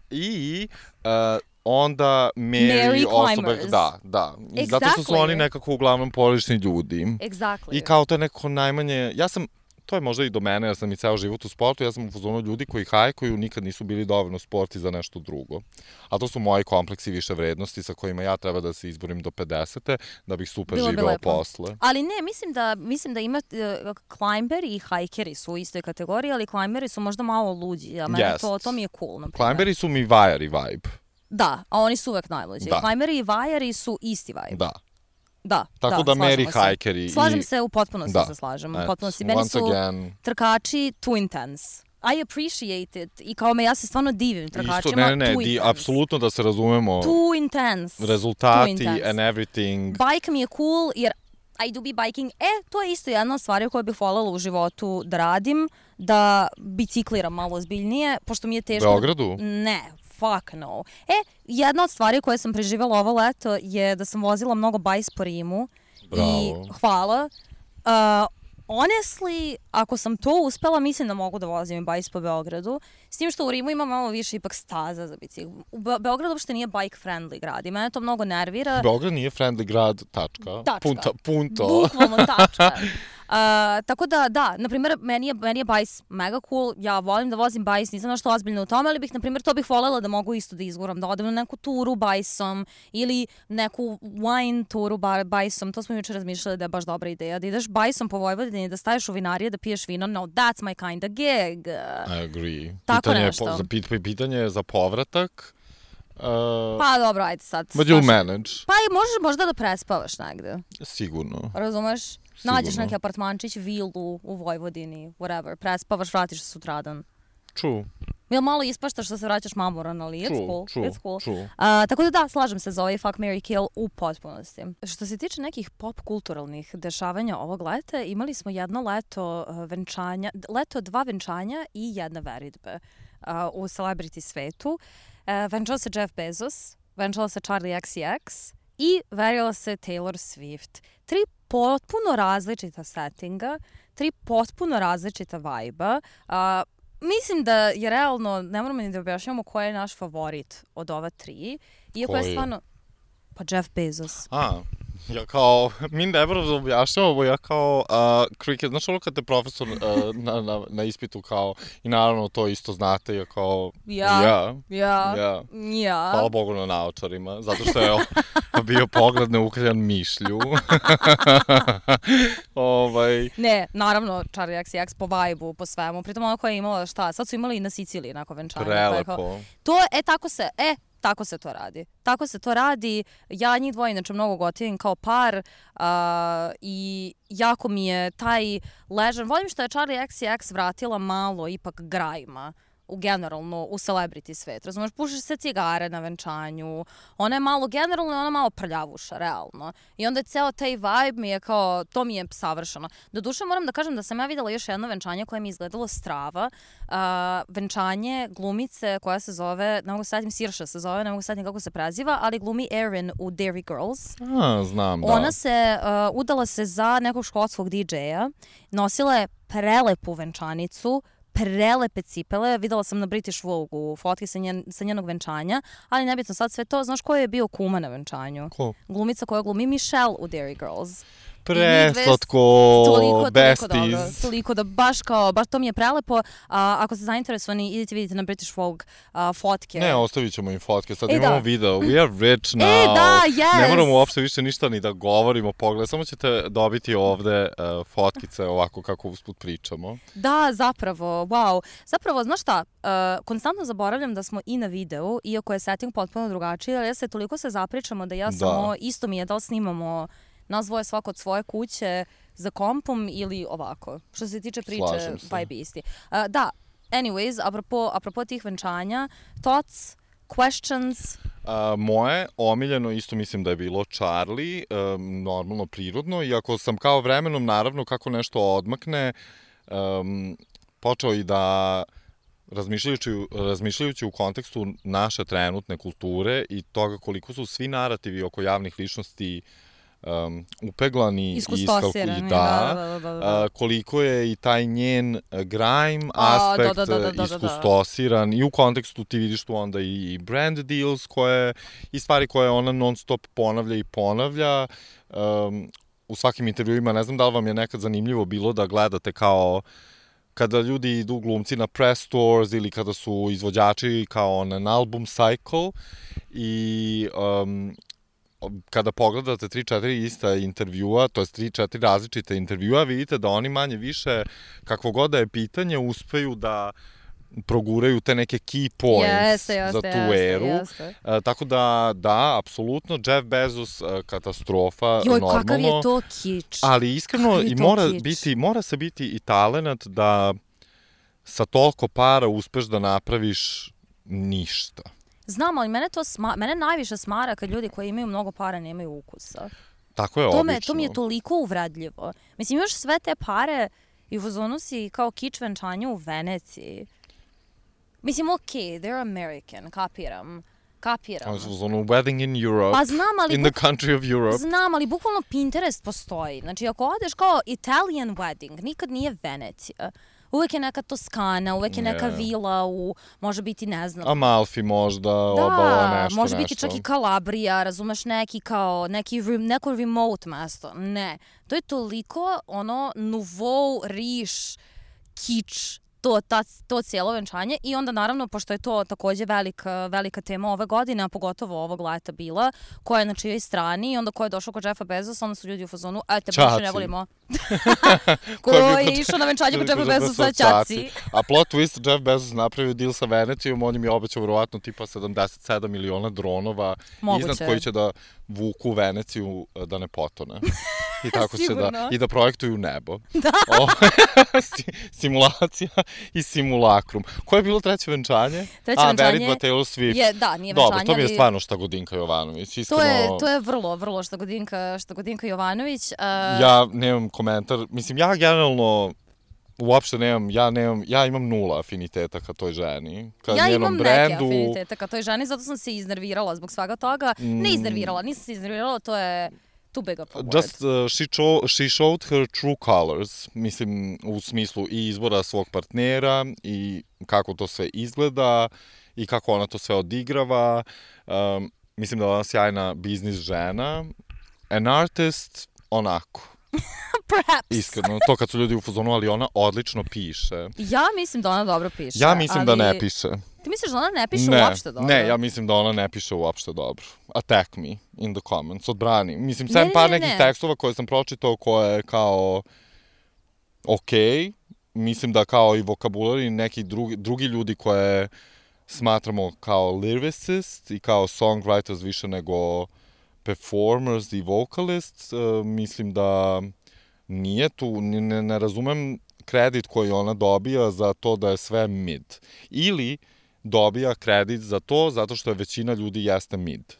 I... Uh, onda Mary, Mary osobe, climbers. da, da. I Exactly. zato što su oni nekako uglavnom porodični ljudi. Exactly. I kao to je nekako najmanje, ja sam, to je možda i do mene, ja sam i ceo život u sportu, ja sam u fazonu ljudi koji hajkuju nikad nisu bili dovoljno sporti za nešto drugo. A to su moji kompleksi više vrednosti sa kojima ja treba da se izborim do pedesete da bih super Bilo živeo posle. Ali ne, mislim da, mislim da ima uh, climberi i hajkeri su u istoj kategoriji, ali climberi su možda malo luđi, a mene yes. to, to mi je cool. Climberi su mi vajari vibe. Da, a oni su uvek najluđi. Da. Climberi i vajari su isti vibe. Da. Da, Tako da, da Mary hajkeri. Slažem i... se, u potpunosti da. se slažem. Et, U potpunosti. Meni su again... trkači too intense. I appreciate it. I kao me, ja se stvarno divim trkačima. Isto, ne, ne, ne, too di, intense. apsolutno da se razumemo. Too intense. Rezultati too intense. and everything. Bike mi je cool, jer I do be biking. E, to je isto jedna od stvari koju bih voljela u životu da radim, da bicikliram malo ozbiljnije, pošto mi je teško... U Beogradu? Ne, fuck no. E, jedna od stvari koje sam preživjela ovo leto je da sam vozila mnogo bajs po Rimu. Bravo. I hvala. Uh, honestly, ako sam to uspela, mislim da mogu da vozim i bajs po Beogradu. S tim što u Rimu ima malo više ipak staza za bicikl. U Be Beogradu uopšte nije bike friendly grad i mene to mnogo nervira. Beograd nije friendly grad, tačka. Tačka. Punta, punto. Bukvalno tačka. Uh, tako da, da, na primjer, meni je, meni je bajs mega cool, ja volim da vozim bajs, nisam nešto ozbiljno u tome, ali bih, na primjer, to bih voljela da mogu isto da izguram, da odem na neku turu bajsom ili neku wine turu bajsom, to smo jučer razmišljali da je baš dobra ideja, da ideš bajsom po Vojvodini, da staješ u vinarije, da piješ vino, no, that's my kind of gig. I agree. Tako pitanje nešto. Je, za, pitanje je za povratak. Uh, pa dobro, ajde sad. But you'll manage. Pa i možeš možda da prespavaš negde. Sigurno. Razumeš? Sigurno. Nađeš neki apartmančić, vilu u Vojvodini, whatever, prespavaš, vratiš se sutradan. True. Jel malo ispaštaš što se vraćaš mamoran, ali it's true, cool. True, it's cool. True. Uh, tako da da, slažem se za ovaj fuck, marry, kill u potpunosti. Što se tiče nekih pop kulturalnih dešavanja ovog leta, imali smo jedno leto venčanja, leto dva venčanja i jedne veritbe uh, u celebrity svetu. Uh, venčala se Jeff Bezos, venčala se Charli X C X i verila se Taylor Swift. Tri potpuno različita settinga, tri potpuno različita vibe-a. Uh, mislim da je realno, ne moramo ni da objašnjamo ko je naš favorit od ova tri. Iako je stvarno... Pa Jeff Bezos. A, Ja kao, mi ne moram da objašnjavamo, ja kao, uh, cricket, znaš ono kad te profesor uh, na, na, na ispitu kao, i naravno to isto znate, ja kao, ja, ja, ja, ja. ja. Hvala Bogu na naočarima, zato što je bio pogled neukaljan mišlju. ovaj... Ne, naravno, Charli X C X po vibe-u, po svemu, pritom ona koja je imala šta, sad su imali i na Siciliji nakon venčanja. Prelepo. Kao, to, e, tako se, e, Tako se to radi. Tako se to radi. Ja njih dvoje inače mnogo gotivim kao par uh, i jako mi je taj ležan. Volim što je Charli X C X vratila malo ipak grajma u generalno u celebrity svet. Razumeš, pušiš se cigare na venčanju. Ona je malo generalno i ona malo prljavuša, realno. I onda je ceo taj vibe mi je kao, to mi je savršeno. Doduše moram da kažem da sam ja videla još jedno venčanje koje mi je izgledalo strava. Uh, venčanje glumice koja se zove, ne mogu setim, Sirša se zove, ne mogu setim kako se preziva, ali glumi Erin u Derry Girls. A, znam, da. Ona se, uh, udala se za nekog škotskog D J-a, nosila je prelepu venčanicu, prelepe cipele, videla sam na British Vogue-u fotke sa, njen, sa njenog venčanja, ali nebitno sad sve to. Znaš ko je bio kuma na venčanju? Ko? Glumica koja glumi Michelle u Derry Girls. Preslatko, toliko, besties. Toliko dobro, toliko da baš kao, baš to mi je prelepo. Uh, ako ste zainteresovani, idite vidite na British Vogue uh, fotke. Ne, ostavit ćemo im fotke, sad e, imamo da. video, we are rich now. E, da, yes. Ne moramo uopšte više ništa ni da govorimo, pogled, samo ćete dobiti ovde uh, fotkice ovako kako usput pričamo. Da, zapravo, wow. Zapravo, znaš šta, uh, konstantno zaboravljam da smo i na videu, iako je setting potpuno drugačiji, ali ja se toliko se zapričamo da ja da. samo, isto mi je da li snimamo nas dvoje svako od svoje kuće za kompom ili ovako. Što se tiče priče, vibe isti. Uh, da, anyways, apropo, apropo tih venčanja, thoughts, questions? Uh, moje omiljeno isto mislim da je bilo Charli, um, normalno, prirodno, iako sam kao vremenom, naravno, kako nešto odmakne, um, počeo i da razmišljajući, razmišljajući u kontekstu naše trenutne kulture i toga koliko su svi narativi oko javnih ličnosti Um, upeglani i iskalkulirani, da, da, da, da, da. Uh, koliko je i taj njen grime aspekt da, da, da, da, da, iskustosiran i u kontekstu ti vidiš tu onda i brand deals koje, i stvari koje ona non stop ponavlja i ponavlja um, u svakim intervjuima. Ne znam da li vam je nekad zanimljivo bilo da gledate kao kada ljudi idu glumci na press tours ili kada su izvođači kao na album cycle i um, kada pogledate tri četiri ista intervjua, to je tri četiri različite intervjua, vidite da oni manje više, kakvo god da je pitanje, uspeju da proguraju te neke key points jeste, jeste, za tu jeste, eru. Jeste. Uh, tako da, da, apsolutno, Jeff Bezos, uh, katastrofa, Joj, normalno. kakav je to kič. Ali iskreno, i mora, biti, mora se biti i talenat da sa toliko para uspeš da napraviš ništa. Znam, ali mene to sma, mene najviše smara kad ljudi koji imaju mnogo para nemaju ukusa. Tako je to obično. Me, to mi je toliko uvredljivo. Mislim, imaš sve te pare i u fazonu si kao kič venčanja u Veneciji. Mislim, okej, okay, they're American, kapiram. Kapiram. Ovo su ono wedding in Europe, pa znam, ali in the country of Europe. Znam, ali bukvalno Pinterest postoji. Znači, ako odeš kao Italian wedding, nikad nije Venecija. Uvek je neka Toskana, uvek je neka yeah. vila u, može biti, ne znam. Amalfi možda, da, obala, nešto, može biti nešto. čak i Kalabrija, razumeš, neki kao, neki, neko remote mesto. Ne, to je toliko, ono, nouveau, riš, kič, to, ta, to cijelo venčanje i onda naravno, pošto je to takođe velika, velika tema ove godine, a pogotovo ovog leta bila, koja je na čijoj strani i onda ko je došao kod Jeffa Bezosa, onda su ljudi u fazonu, a te baš ne volimo. Ko je išao na venčanje kod Jeffa Bezosa, Ćaci. A plot twist, Jeff Bezos napravio deal sa Venecijom, on im je obećao verovatno tipa sedamdeset sedam miliona dronova moguće. Iznad koji će da vuku Veneciju da ne potone. I tako će da, i da projektuju nebo. Da. O, simulacija i simulakrum. Koje je bilo treće venčanje? Treće A, venčanje Veritva Taylor Swift. Je, da, nije venčanje. Dobro, to mi je stvarno Štagodinka Jovanović. Iskreno, to, je, to je vrlo, vrlo Štagodinka, Štagodinka Jovanović. Uh... Ja nemam komentar. Mislim, ja generalno uopšte nemam, ja nemam, ja imam nula afiniteta ka toj ženi. Ka ja njenom imam brendu. neke afiniteta ka toj ženi, zato sam se iznervirala zbog svega toga. Mm. Ne iznervirala, nisam se iznervirala, to je too big of a word. Just uh, she, cho- she showed her true colors, mislim u smislu i izbora svog partnera i kako to sve izgleda i kako ona to sve odigrava. Um, mislim da je ona sjajna biznis žena an artist, onako. Perhaps. Iskreno, to kad su ljudi u fazonu, ali ona odlično piše. Ja mislim da ona dobro piše. Ja mislim ali... da ne piše. Ti misliš da ona ne piše ne, uopšte dobro? Ne, ja mislim da ona ne piše uopšte dobro. Attack me in the comments, odbrani. Mislim, ne, sem ne, par ne, nekih ne. tekstova koje sam pročitao koje je kao okej, mislim da kao i vokabular i neki drugi, drugi ljudi koje smatramo kao lyricist i kao songwriters više nego performers i vocalists, uh, mislim da nije tu, ne, ne razumem kredit koji ona dobija za to da je sve mid. Ili dobija kredit za to zato što je većina ljudi jeste mid.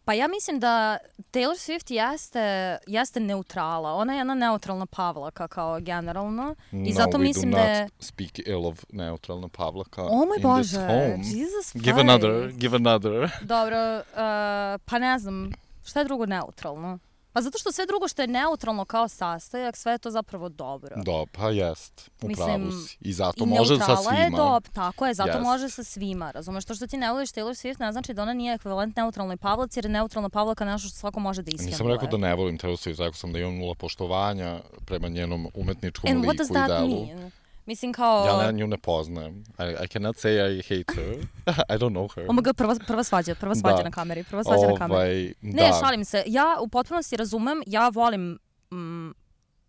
Pa ja mislim da Taylor Swift jeste, jeste neutrala. Ona je jedna neutralna Pavlaka kao generalno. I no, zato we mislim do da not je... speak ill of neutralna Pavlaka Oh moj in Bože, this home. Jesus Christ. Give another, give another. Dobro, uh, pa ne znam, šta je drugo neutralno? Pa zato što sve drugo što je neutralno kao sastojak, sve je to zapravo dobro. Do, pa jest, upravo Mislim, si. I zato I može sa neutrala je svima. dobro, tako je, zato Jest. može sa svima. Razumeš, to što ti ne voliš Taylor Swift ne znači da ona nije ekvivalent neutralnoj Pavlaci, jer je neutralna Pavlaka nešto što svako može da iskenuje. Nisam rekao da ne volim Taylor Swift, rekao sam da imam nula poštovanja prema njenom umetničkom And liku what does i that delu. mean? Mislim kao... Ja ne, nju ne poznajem. I, I cannot say I hate her. I don't know her. Oh my god, prva, prva svađa, prva svađa Da. na kameri, prva svađa na kameri. Ovaj, Ne, da. šalim se. Ja u potpunosti razumem, ja volim... Mm,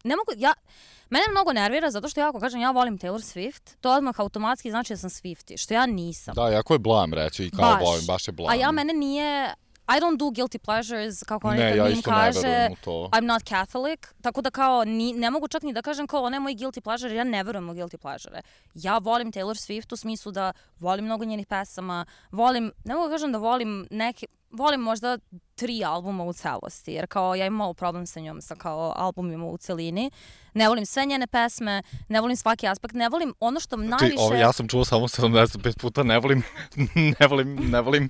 ne mogu, ja... Mene mnogo nervira zato što ja ako kažem ja volim Taylor Swift, to odmah automatski znači da sam Swiftie, što ja nisam. Da, jako je blam reći i kao Baš. volim, baš je blam. A ja mene nije... I don't do guilty pleasures, kako Ne, nekad ja mi im isto ne kaže. verujem u to. I'm not Catholic, tako da kao ni, ne mogu čak ni da kažem kao ona je moj guilty pleasure, jer ja ne verujem u guilty pleasure. Ja volim Taylor Swift u smislu da volim mnogo njenih pesama, volim, ne mogu da kažem da volim neke, volim možda tri albuma u celosti, jer kao ja imam malo problem sa njom, sa kao albumima u celini. Ne volim sve njene pesme, ne volim svaki aspekt, ne volim ono što najviše... Ti, ovo, ja sam čuo samo sedamdeset pet puta, ne volim, ne volim, ne volim,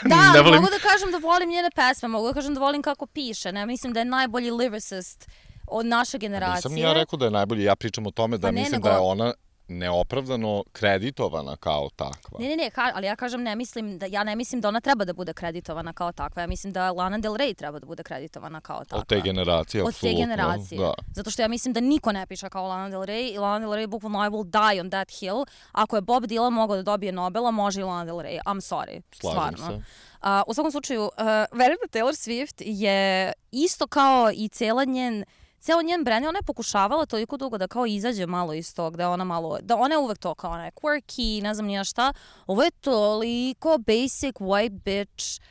Da, ne volim. mogu da kažem da volim njene pesme, mogu da kažem da volim kako piše, ne mislim da je najbolji lyricist od naše generacije. Nisam ja rekao da je najbolji, ja pričam o tome da Pa ne, mislim nego- da je ona neopravdano kreditovana kao takva. Ne, ne, ne, ka, ali ja kažem ne mislim da, ja ne mislim da ona treba da bude kreditovana kao takva, ja mislim da Lana Del Rey treba da bude kreditovana kao takva. Od te generacije, Od apsolutno. te generacije. Da. Zato što ja mislim da niko ne piše kao Lana Del Rey i Lana Del Rey bukvalno I will die on that hill. Ako je Bob Dylan mogao da dobije Nobela, može i Lana Del Rey. I'm sorry. Slažem stvarno. se. Uh, u svakom slučaju, uh, verujem da Taylor Swift je isto kao i cijela njen Cijelo njen brand, ona je pokušavala toliko dugo da kao izađe malo iz tog, da ona malo, da ona je uvek to kao ona je quirky, ne znam nija šta. Ovo je toliko basic white bitch,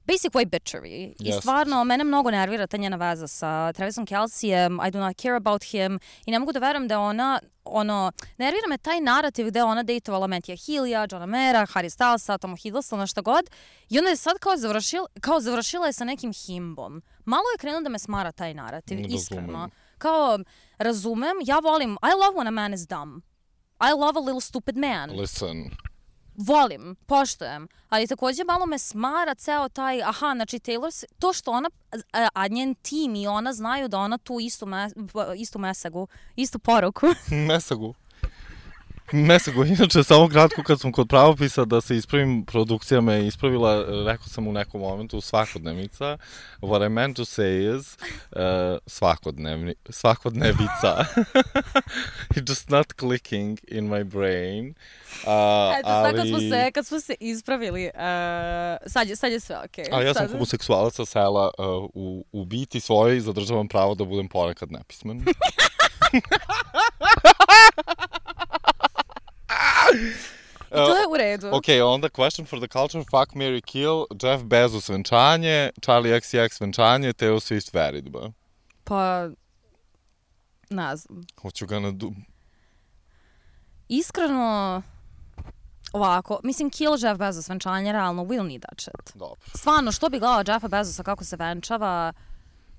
basic white bitchery. I Jest. stvarno, mene mnogo nervira ta njena veza sa Travisom Kelcejem, I do not care about him, i ne mogu da verujem da ona, ono, nervira me taj narativ gde je ona dejtovala Mattheja Healya, Johna Mayera, Harry Stylesa, Toma Hiddlestona, šta god, i onda je sad kao završila, kao završila je sa nekim himbom. Malo je krenuo da me smara taj narativ, Ne iskreno. razumem. Kao, razumem, ja volim, I love when a man is dumb. I love a little stupid man. Listen, Volim, poštujem, ali takođe malo me smara ceo taj, aha, znači Taylor, S- to što ona, a, a njen tim i ona znaju da ona tu istu, me, istu mesagu, istu poruku. Mesagu. Mesagu, inače, samo kratko kad sam kod pravopisa da se ispravim, produkcija me je ispravila, rekao sam u nekom momentu svakodnevnica. What I meant to say is uh, svakodnevni, svakodnevica. It's just not clicking in my brain. Uh, Eto, sad kad ali... smo se, kad smo se ispravili, uh, sad, je, sad je sve okej. A ja sam Sad- homoseksualac sa sela, uh, u, u biti svojoj zadržavam pravo da budem ponekad nepismen. I to je u redu. Ok, onda question for the culture, fuck, marry, kill, Jeff Bezos venčanje, Charlie X C X venčanje, Taylor Swift veridba. Pa, ne znam. What you gonna do? Iskreno, ovako, mislim, kill Jeff Bezos venčanje, realno, we'll need that shit. Dobro. Stvarno, što bi gledala Jeffa Bezosa kako se venčava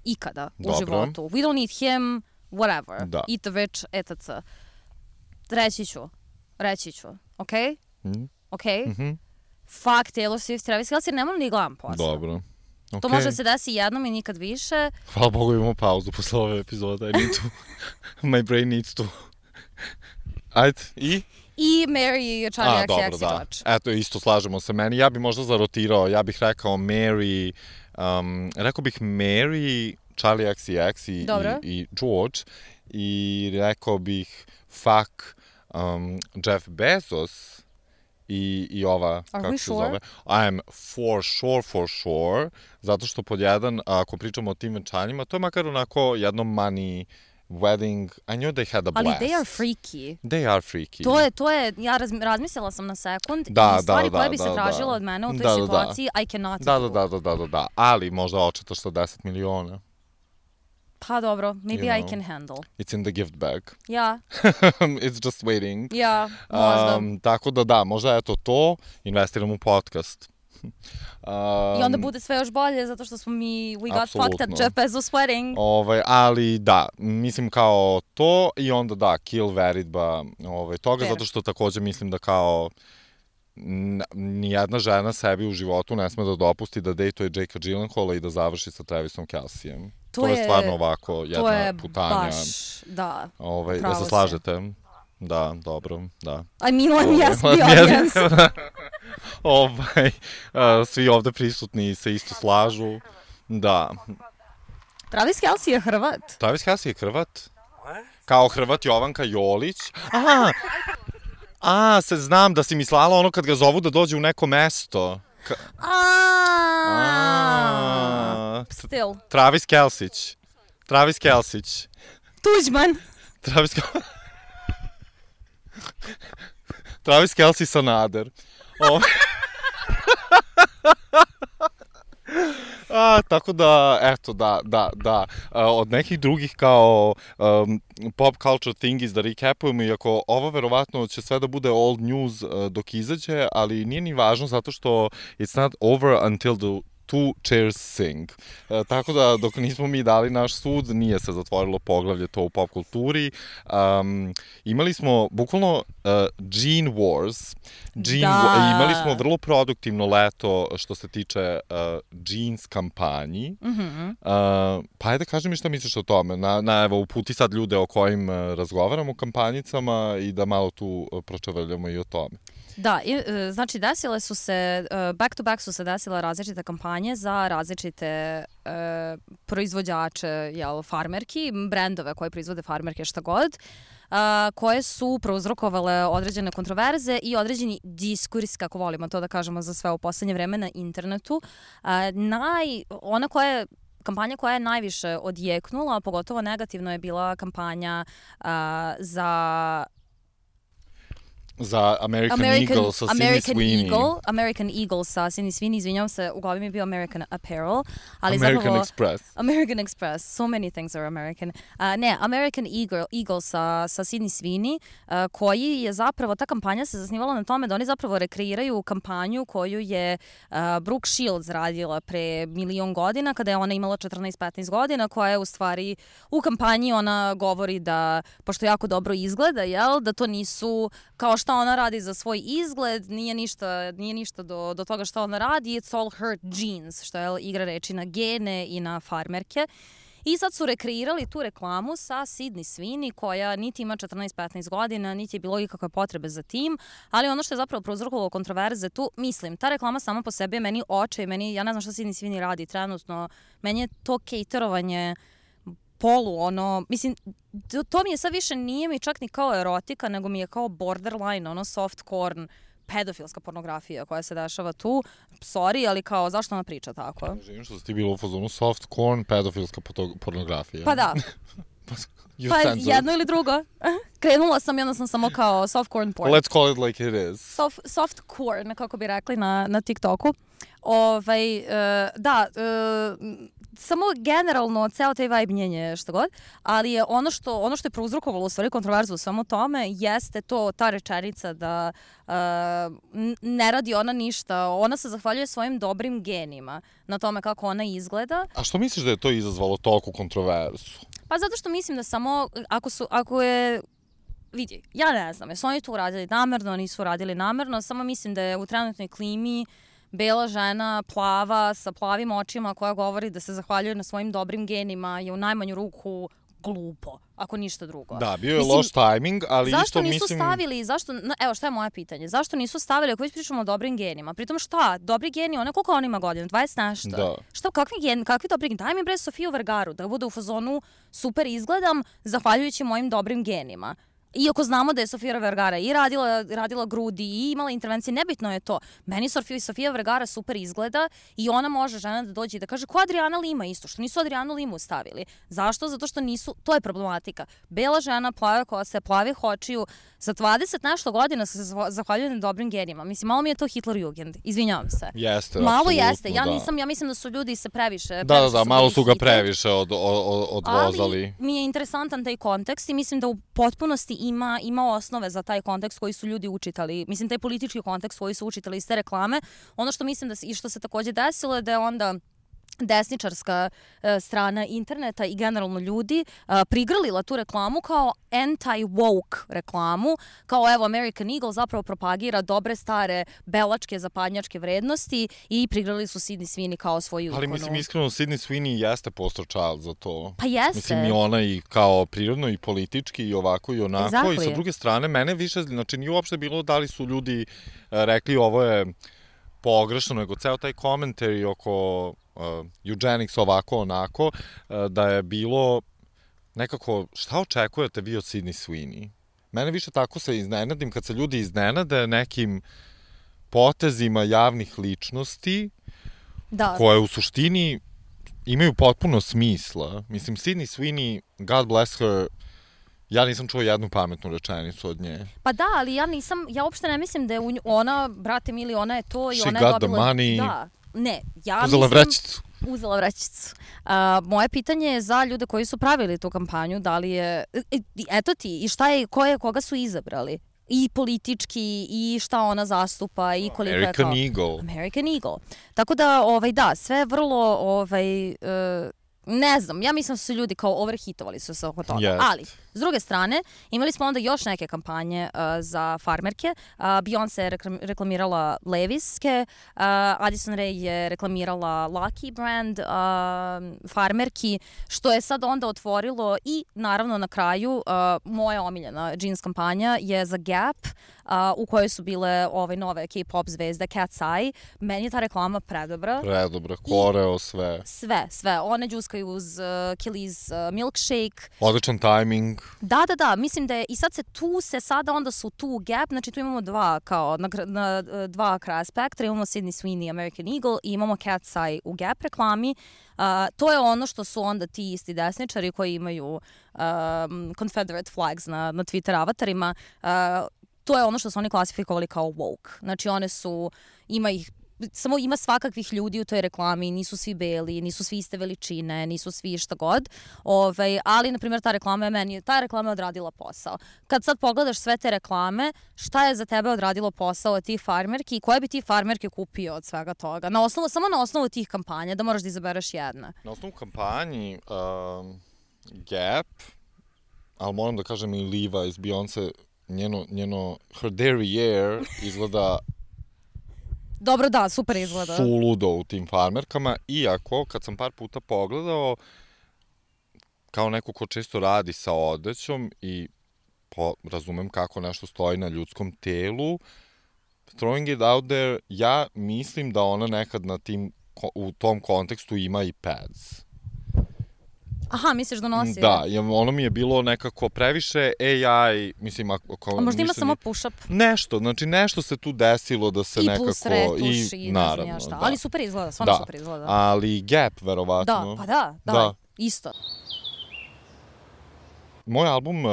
ikada u Dobro. životu. We don't need him, whatever. Da. Eat the rich, et cetera. Reći ću. Reći ću. Ok? Mm. Ok? Mhm. Fuck Taylor Swift, Travis Kelce, ne moram ni gledam posle. Dobro. Okay. To može da se desi jednom i nikad više. Hvala Bogu imamo pauzu posle ove epizode. I need to... My brain needs to... Ajde, i? I Mary Charlie A, X dobro, X da. George. Eto, isto slažemo se meni. Ja bih možda zarotirao, ja bih rekao Mary, Um, rekao bih Mary, Charlie X C X i, i, i George. I rekao bih fuck um, Jeff Bezos i, i ova, Are kako we se sure? zove? I'm for sure, for sure. Zato što pod jedan, ako pričamo o tim venčanjima, to je makar onako jedno money wedding, I knew they had a blast. Ali they are freaky. They are freaky. To je, to je, ja raz, razmislila sam na sekund da, i stvari da, koje da, bi da, se tražila da. od mene u toj da, situaciji, da. I cannot da, do. Da, da, da, da, da. Ali možda očetaš sa deset miliona. Pa dobro, maybe you I know, can handle. It's in the gift bag. Ja. It's just waiting. Ja, možda. Um, tako da da, možda eto to, investiram u podcast. Um, I onda bude sve još bolje zato što smo mi, we got apsolutno. fucked at Jeff Bezos wedding. Ovaj, ali da, mislim kao to i onda da, kill veritba ovaj, toga, Fair. zato što takođe mislim da kao n- nijedna žena sebi u životu ne sme da dopusti da dejtuje Jakea Gyllenhaala i da završi sa Travisom Kelcejem. To, to je, je stvarno ovako jedna to je putanja. Baš, da, ovaj, da se slažete? Da, dobro, da. I mean, let me ovaj, ask the audience. ovaj, uh, svi ovde prisutni se isto slažu. Da. Travis Kelce je Hrvat. Travis Kelce je Hrvat? Kao Hrvat Jovanka Jolić? Aha! A, se znam da si mislala ono kad ga zovu da dođe u neko mesto. Ka... A. Still. Travis Kelcić. Travis Kelcić. Tuđman. Travis Kelcić. Travis Kelce Sanader. O... A, tako da, eto, da, da, da. A, od nekih drugih kao um, pop culture thingis da recapujemo, iako ovo verovatno će sve da bude old news uh, dok izađe, ali nije ni važno zato što it's not over until the two chairs sing. E, tako da, dok nismo mi dali naš sud, nije se zatvorilo poglavlje to u pop kulturi. Um, imali smo, bukvalno, uh, Gene Wars. Gene da. Wa- imali smo vrlo produktivno leto što se tiče uh, jeans kampanji. Mm-hmm. Uh, pa ajde, kaži mi šta misliš o tome. Na, na, evo, uputi sad ljude o kojim uh, razgovaramo kampanjicama i da malo tu uh, pročavrljamo i o tome. Da, i, znači desile su se, back to back su se desile različite kampanje za različite uh, proizvođače, jel, farmerki, brendove koje proizvode farmerke šta god, uh, koje su prouzrokovale određene kontroverze i određeni diskurs, kako volimo to da kažemo za sve u poslednje vreme na internetu. Uh, naj, ona koja je Kampanja koja je najviše odjeknula, pogotovo negativno, je bila kampanja uh, za za American, American Eagle sa American Sydney Sweeney. Eagle, American Eagle sa Sydney Sweeney, izvinjam se, u glavi mi je bio American Apparel, ali American zapravo... Express. American Express, so many things are American. Uh, ne, American Eagle, Eagle sa, sa Sydney Sweeney, uh, koji je zapravo, ta kampanja se zasnivala na tome da oni zapravo rekreiraju kampanju koju je uh, Brooke Shields radila pre milion godina, kada je ona imala četrnaest petnaest godina, koja je u stvari, u kampanji ona govori da, pošto jako dobro izgleda, jel, da to nisu, kao šta ona radi za svoj izgled, nije ništa, nije ništa do, do toga šta ona radi, it's all her genes, što je igra reči na gene i na farmerke. I sad su rekreirali tu reklamu sa Sydney Sweeney, koja niti ima četrnaest petnaest godina, niti je bilo ikakve potrebe za tim, ali ono što je zapravo prouzrokovalo kontroverze tu, mislim, ta reklama sama po sebi je meni oče, meni, ja ne znam šta Sydney Sweeney radi trenutno, meni je to caterovanje polu, ono, mislim, to, to mi je sad više, nije mi čak ni kao erotika, nego mi je kao borderline, ono, softcore, pedofilska pornografija koja se dešava tu. Sorry, ali kao, zašto ona priča tako? Živim što si ti bilo u fazonu soft corn, pedofilska pornografija. Pa da. You pa censored. jedno ili drugo. Krenula sam i onda sam samo kao soft corn porn. Let's call it like it is. Soft, soft corn, kako bi rekli na, na TikToku. Ovaj, uh, da, uh, samo generalno ceo taj vibe njenje šta god, ali je ono što, ono što je prouzrokovalo u stvari kontroverzu u svemu tome jeste to, ta rečenica da uh, ne radi ona ništa, ona se zahvaljuje svojim dobrim genima na tome kako ona izgleda. A što misliš da je to izazvalo toliku kontroverzu? Pa zato što mislim da samo, ako su, ako je, vidi, ja ne znam, jesu oni to uradili namerno, nisu uradili namerno, samo mislim da je u trenutnoj klimi bela žena, plava, sa plavim očima, koja govori da se zahvaljuje na svojim dobrim genima, je u najmanju ruku glupo, ako ništa drugo. Da, bio je mislim, loš tajming, ali zašto isto nisu mislim... stavili, zašto, evo šta je moje pitanje, zašto nisu stavili, ako već pričamo o dobrim genima, pritom šta, dobri geni, ona koliko on ima godina, dvadeset nešto? Da. Šta, kakvi geni, kakvi dobri geni, daj mi bre Sofiju Vergaru, da bude u fazonu super izgledam, zahvaljujući mojim dobrim genima. Iako znamo da je Sofija Vergara i radila, radila grudi i imala intervencije, nebitno je to. Meni Sofija, Sofija Vergara super izgleda i ona može žena da dođe i da kaže ko Adriana Lima isto, što nisu Adrianu Limu stavili. Zašto? Zato što nisu, to je problematika. Bela žena, plave kose, plavih očiju, za dvadeset nešto godina se zahvaljuje na dobrim genima. Mislim, malo mi je to Hitlerjugend, izvinjavam se. Jeste, malo apsolutno, jeste, ja da. nisam, ja mislim da su ljudi se previše, da, previše da, da, malo su ga Hitler. previše od, od, odvozali. Ali mi je interesantan taj kontekst i mislim da u potpunosti ima, ima osnove za taj kontekst koji su ljudi učitali. Mislim, taj politički kontekst koji su učitali iz te reklame. Ono što mislim da se, i što se takođe desilo je da je onda desničarska uh, strana interneta i generalno ljudi uh, prigrlila tu reklamu kao anti-woke reklamu, kao evo American Eagle zapravo propagira dobre stare belačke zapadnjačke vrednosti i prigrlili su Sydney Sweeney kao svoju ikonu. Ali mislim iskreno Sydney Sweeney jeste poster child za to. Pa jeste. Mislim i ona i kao prirodno i politički i ovako i onako exactly. I sa druge strane mene više, znači nije uopšte bilo da li su ljudi uh, rekli ovo je pogrešno, nego ceo taj komentari oko uh, eugenics ovako onako, uh, da je bilo nekako, šta očekujete vi od Sydney Sweeney? Mene više tako se iznenadim kad se ljudi iznenade nekim potezima javnih ličnosti da. Koje u suštini imaju potpuno smisla. Mislim, Sydney Sweeney, God bless her, ja nisam čuo jednu pametnu rečenicu od nje. Pa da, ali ja nisam, ja uopšte ne mislim da je ona, brate mili, ona je to i She ona je got dobila... the money. Da, ne, ja uzela mislim... vrećicu. Uzela vrećicu. Uh, moje pitanje je za ljude koji su pravili tu kampanju, da li je... Eto ti, i šta je, ko je, koga su izabrali? I politički, i šta ona zastupa, i koliko American je kao... Eagle. American Eagle. Tako da, ovaj, da, sve vrlo, ovaj... Uh, ne znam, ja mislim da su ljudi kao overhitovali su se oko toga. Yes. Ali, s druge strane, imali smo onda još neke kampanje uh, za farmerke. Uh, Beyoncé je reklam, reklamirala Levi'ske, uh, Addison Rae je reklamirala Lucky brand uh, farmerki, što je sad onda otvorilo i naravno na kraju uh, moja omiljena jeans kampanja je za Gap, uh, u kojoj su bile ove nove K-pop zvezde Cat's Eye. Meni je ta reklama predobra. Predobra, koreo, sve. Sve, sve. One džuskaju uz uh, Kelly's uh, milkshake. Odličan tajming. Da, da, da, mislim da je, i sad se tu se sada onda su tu Gap, znači tu imamo dva kao, na, na dva kraja spektra, imamo Sydney Sweeney, American Eagle i imamo Cat's Eye u Gap reklami. Uh, to je ono što su onda ti isti desničari koji imaju um, Confederate flags na, na Twitter avatarima, uh, to je ono što su oni klasifikovali kao woke. Znači one su, ima ih samo ima svakakvih ljudi u toj reklami, nisu svi beli, nisu svi iste veličine, nisu svi šta god, ovaj, ali, na primjer, ta reklama je meni, ta reklama je odradila posao. Kad sad pogledaš sve te reklame, šta je za tebe odradilo posao od tih farmerki i koje bi ti farmerke kupio od svega toga? Na osnovu, samo na osnovu tih kampanja, da moraš da izabereš jedna. Na osnovu kampanji um, Gap, ali moram da kažem i Levi's, Beyoncé, njeno, njeno her derriere izgleda dobro, da, super izgleda. Suludo u tim farmerkama, iako kad sam par puta pogledao, kao neko ko često radi sa odećom i po, razumem kako nešto stoji na ljudskom telu, throwing it out there, ja mislim da ona nekad na tim, u tom kontekstu ima i pads. Aha, misliš da nosi? Da, ono mi je bilo nekako previše A I, mislim, ako... A možda ima samo push-up? Nešto, znači nešto se tu desilo da se I nekako... I plus retuš i, i naravno, ne znam ja šta. da. Ali super izgleda, stvarno da. super izgleda. Ali Gap, verovatno. Da, pa da, da, da. isto. Moj album uh,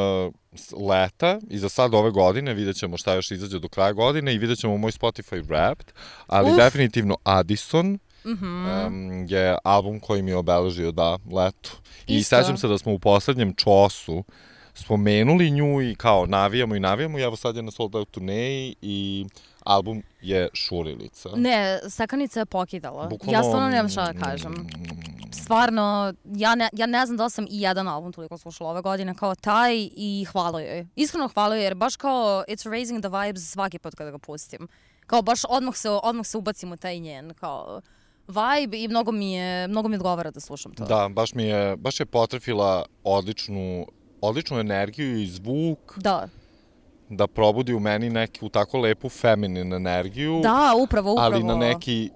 leta i za sad ove godine, vidjet ćemo šta još izađe do kraja godine i vidjet ćemo moj Spotify Wrapped, ali Uf. definitivno Addison, Mm-hmm. Um, je album koji mi je obeležio, da, leto. I sećam se da smo u poslednjem čosu spomenuli nju i kao navijamo i navijamo i evo sad je na sold out turneji i album je šurilica. Ne, stekanica je pokidala. Bukvalno... Ja stvarno nemam šta da kažem. Stvarno, ja ne, ja ne znam da sam i jedan album toliko slušala ove godine kao taj i hvala joj. Iskreno hvala joj jer baš kao it's raising the vibes svaki put kada ga pustim. Kao baš odmah se, odmah se ubacim u taj njen kao... vibe i mnogo mi je, mnogo mi odgovara da slušam to. Da, baš mi je, baš je potrefila odličnu, odličnu energiju i zvuk. Da. Da probudi u meni neku tako lepu feminin energiju. Da, upravo, upravo. Ali na neki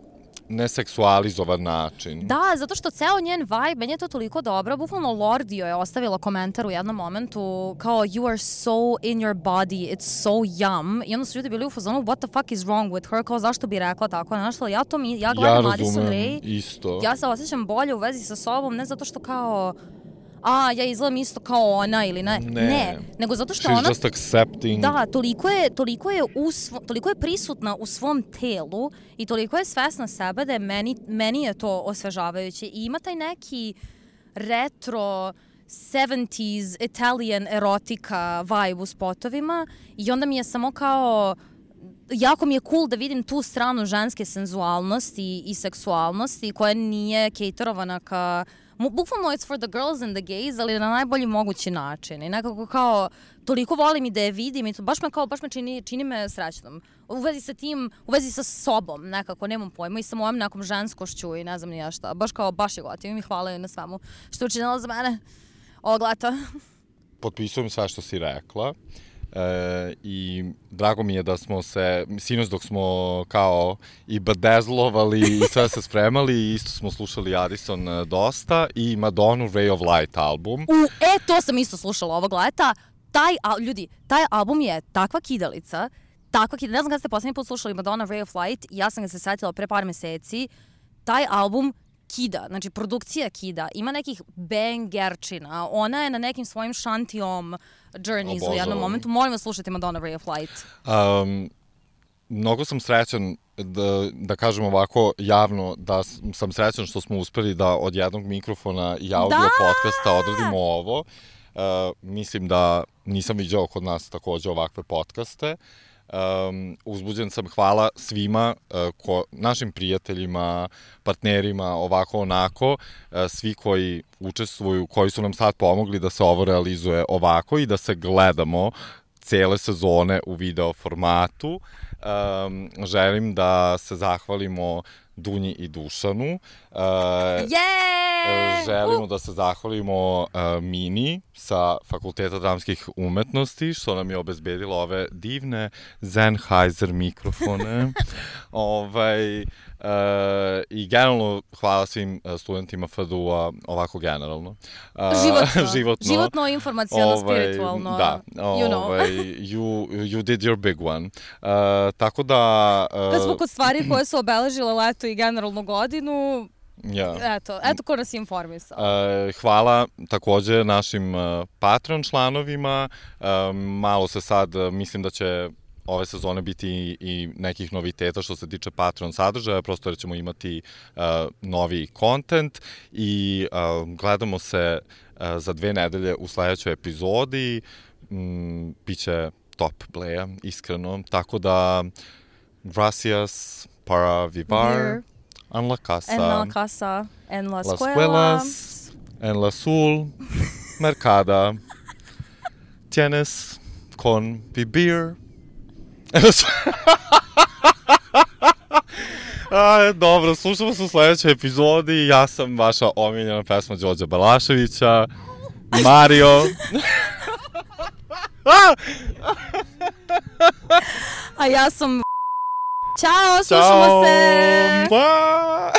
neseksualizovan način. Da, zato što ceo njen vibe, meni je to toliko dobro. Bukvalno Lordio je ostavila komentar u jednom momentu kao you are so in your body, it's so yum. I onda su ljudi bili u fazonu what the fuck is wrong with her, kao zašto bi rekla tako. Znaš što, ja to mi, ja gledam ja Madison Rae. Isto. Ja se osjećam bolje u vezi sa sobom, ne zato što kao a, ja izgledam isto kao ona ili ne. Ne. Ne, nego zato što She's ona... just accepting. Da, toliko je, toliko je, u svo, toliko je prisutna u svom telu i toliko je svesna sebe da je meni, meni je to osvežavajuće. I ima taj neki retro sedamdeset Italian erotika vibe u spotovima i onda mi je samo kao... Jako mi je cool da vidim tu stranu ženske senzualnosti i seksualnosti koja nije caterovana ka... Bukvalno it's for the girls and the gays, ali na najbolji mogući način. I nekako kao, toliko volim i da je vidim i to baš me kao, baš me čini, čini me srećnom. U vezi sa tim, u vezi sa sobom nekako, nemam pojma, i sa mojom nekom ženskošću i ne znam ni ja šta. Baš kao, baš je gotivim i hvala joj na svemu što je učinila za mene ovog leta. Potpisujem sve što si rekla. E, i drago mi je da smo se, sinoć dok smo kao i bedezlovali i sve se spremali, isto smo slušali Addison dosta i Madonna Ray of Light album. U, e, to sam isto slušala ovog leta. Taj, a, ljudi, taj album je takva kidalica, takva kidalica, ne znam kada ste poslednji put slušali Madonna Ray of Light, ja sam ga se setila pre par meseci, taj album kida, znači produkcija kida, ima nekih bangerčina, ona je na nekim svojim šantiom journeys u jednom momentu. Molim vas slušajte Madonna Ray of Light. Um, mnogo sam srećan da, da kažem ovako javno da sam srećan što smo uspeli da od jednog mikrofona i audio da! podcasta odradimo ovo. Uh, mislim da nisam viđao kod nas takođe ovakve podcaste. Um, uzbuđen sam, hvala svima, uh, ko, našim prijateljima, partnerima, ovako onako, uh, svi koji učestvuju, koji su nam sad pomogli da se ovo realizuje ovako i da se gledamo cele sezone u video formatu. Um, želim da se zahvalimo Dunji i Dušanu. Uh, yeah! Želimo uh! da se zahvalimo uh, Mini sa Fakulteta dramskih umetnosti, što nam je obezbedilo ove divne Sennheiser mikrofone. ovaj, uh, I generalno hvala svim studentima F D U-a, ovako generalno. Uh, životno. životno. Životno, informacijalno, ovaj, spiritualno. Da, you know. ovaj, you, you did your big one. Uh, tako da... Uh, Kad smo kod stvari koje su obeležile leto i generalnu godinu, ja. eto, eto ko nas je informisao. Uh, hvala takođe našim uh, Patreon članovima. Uh, malo se sad, uh, mislim da će ove sezone biti i, i nekih noviteta što se tiče Patreon sadržaja, prosto jer ćemo imati uh, novi kontent i uh, gledamo se uh, za dve nedelje u sledećoj epizodi. Mm, biće top bleja, iskreno. Tako da, gracias para vivar Here. en la casa. En la casa, en la Las escuela. escuelas, en la sul, mercada. Tienes con vivir. A, dobro, slušamo se u sledećoj epizodi. Ja sam vaša omiljena pesma Đorđa Balaševića, Mario. A ja sam... Ćao, slušamo se! Ćao!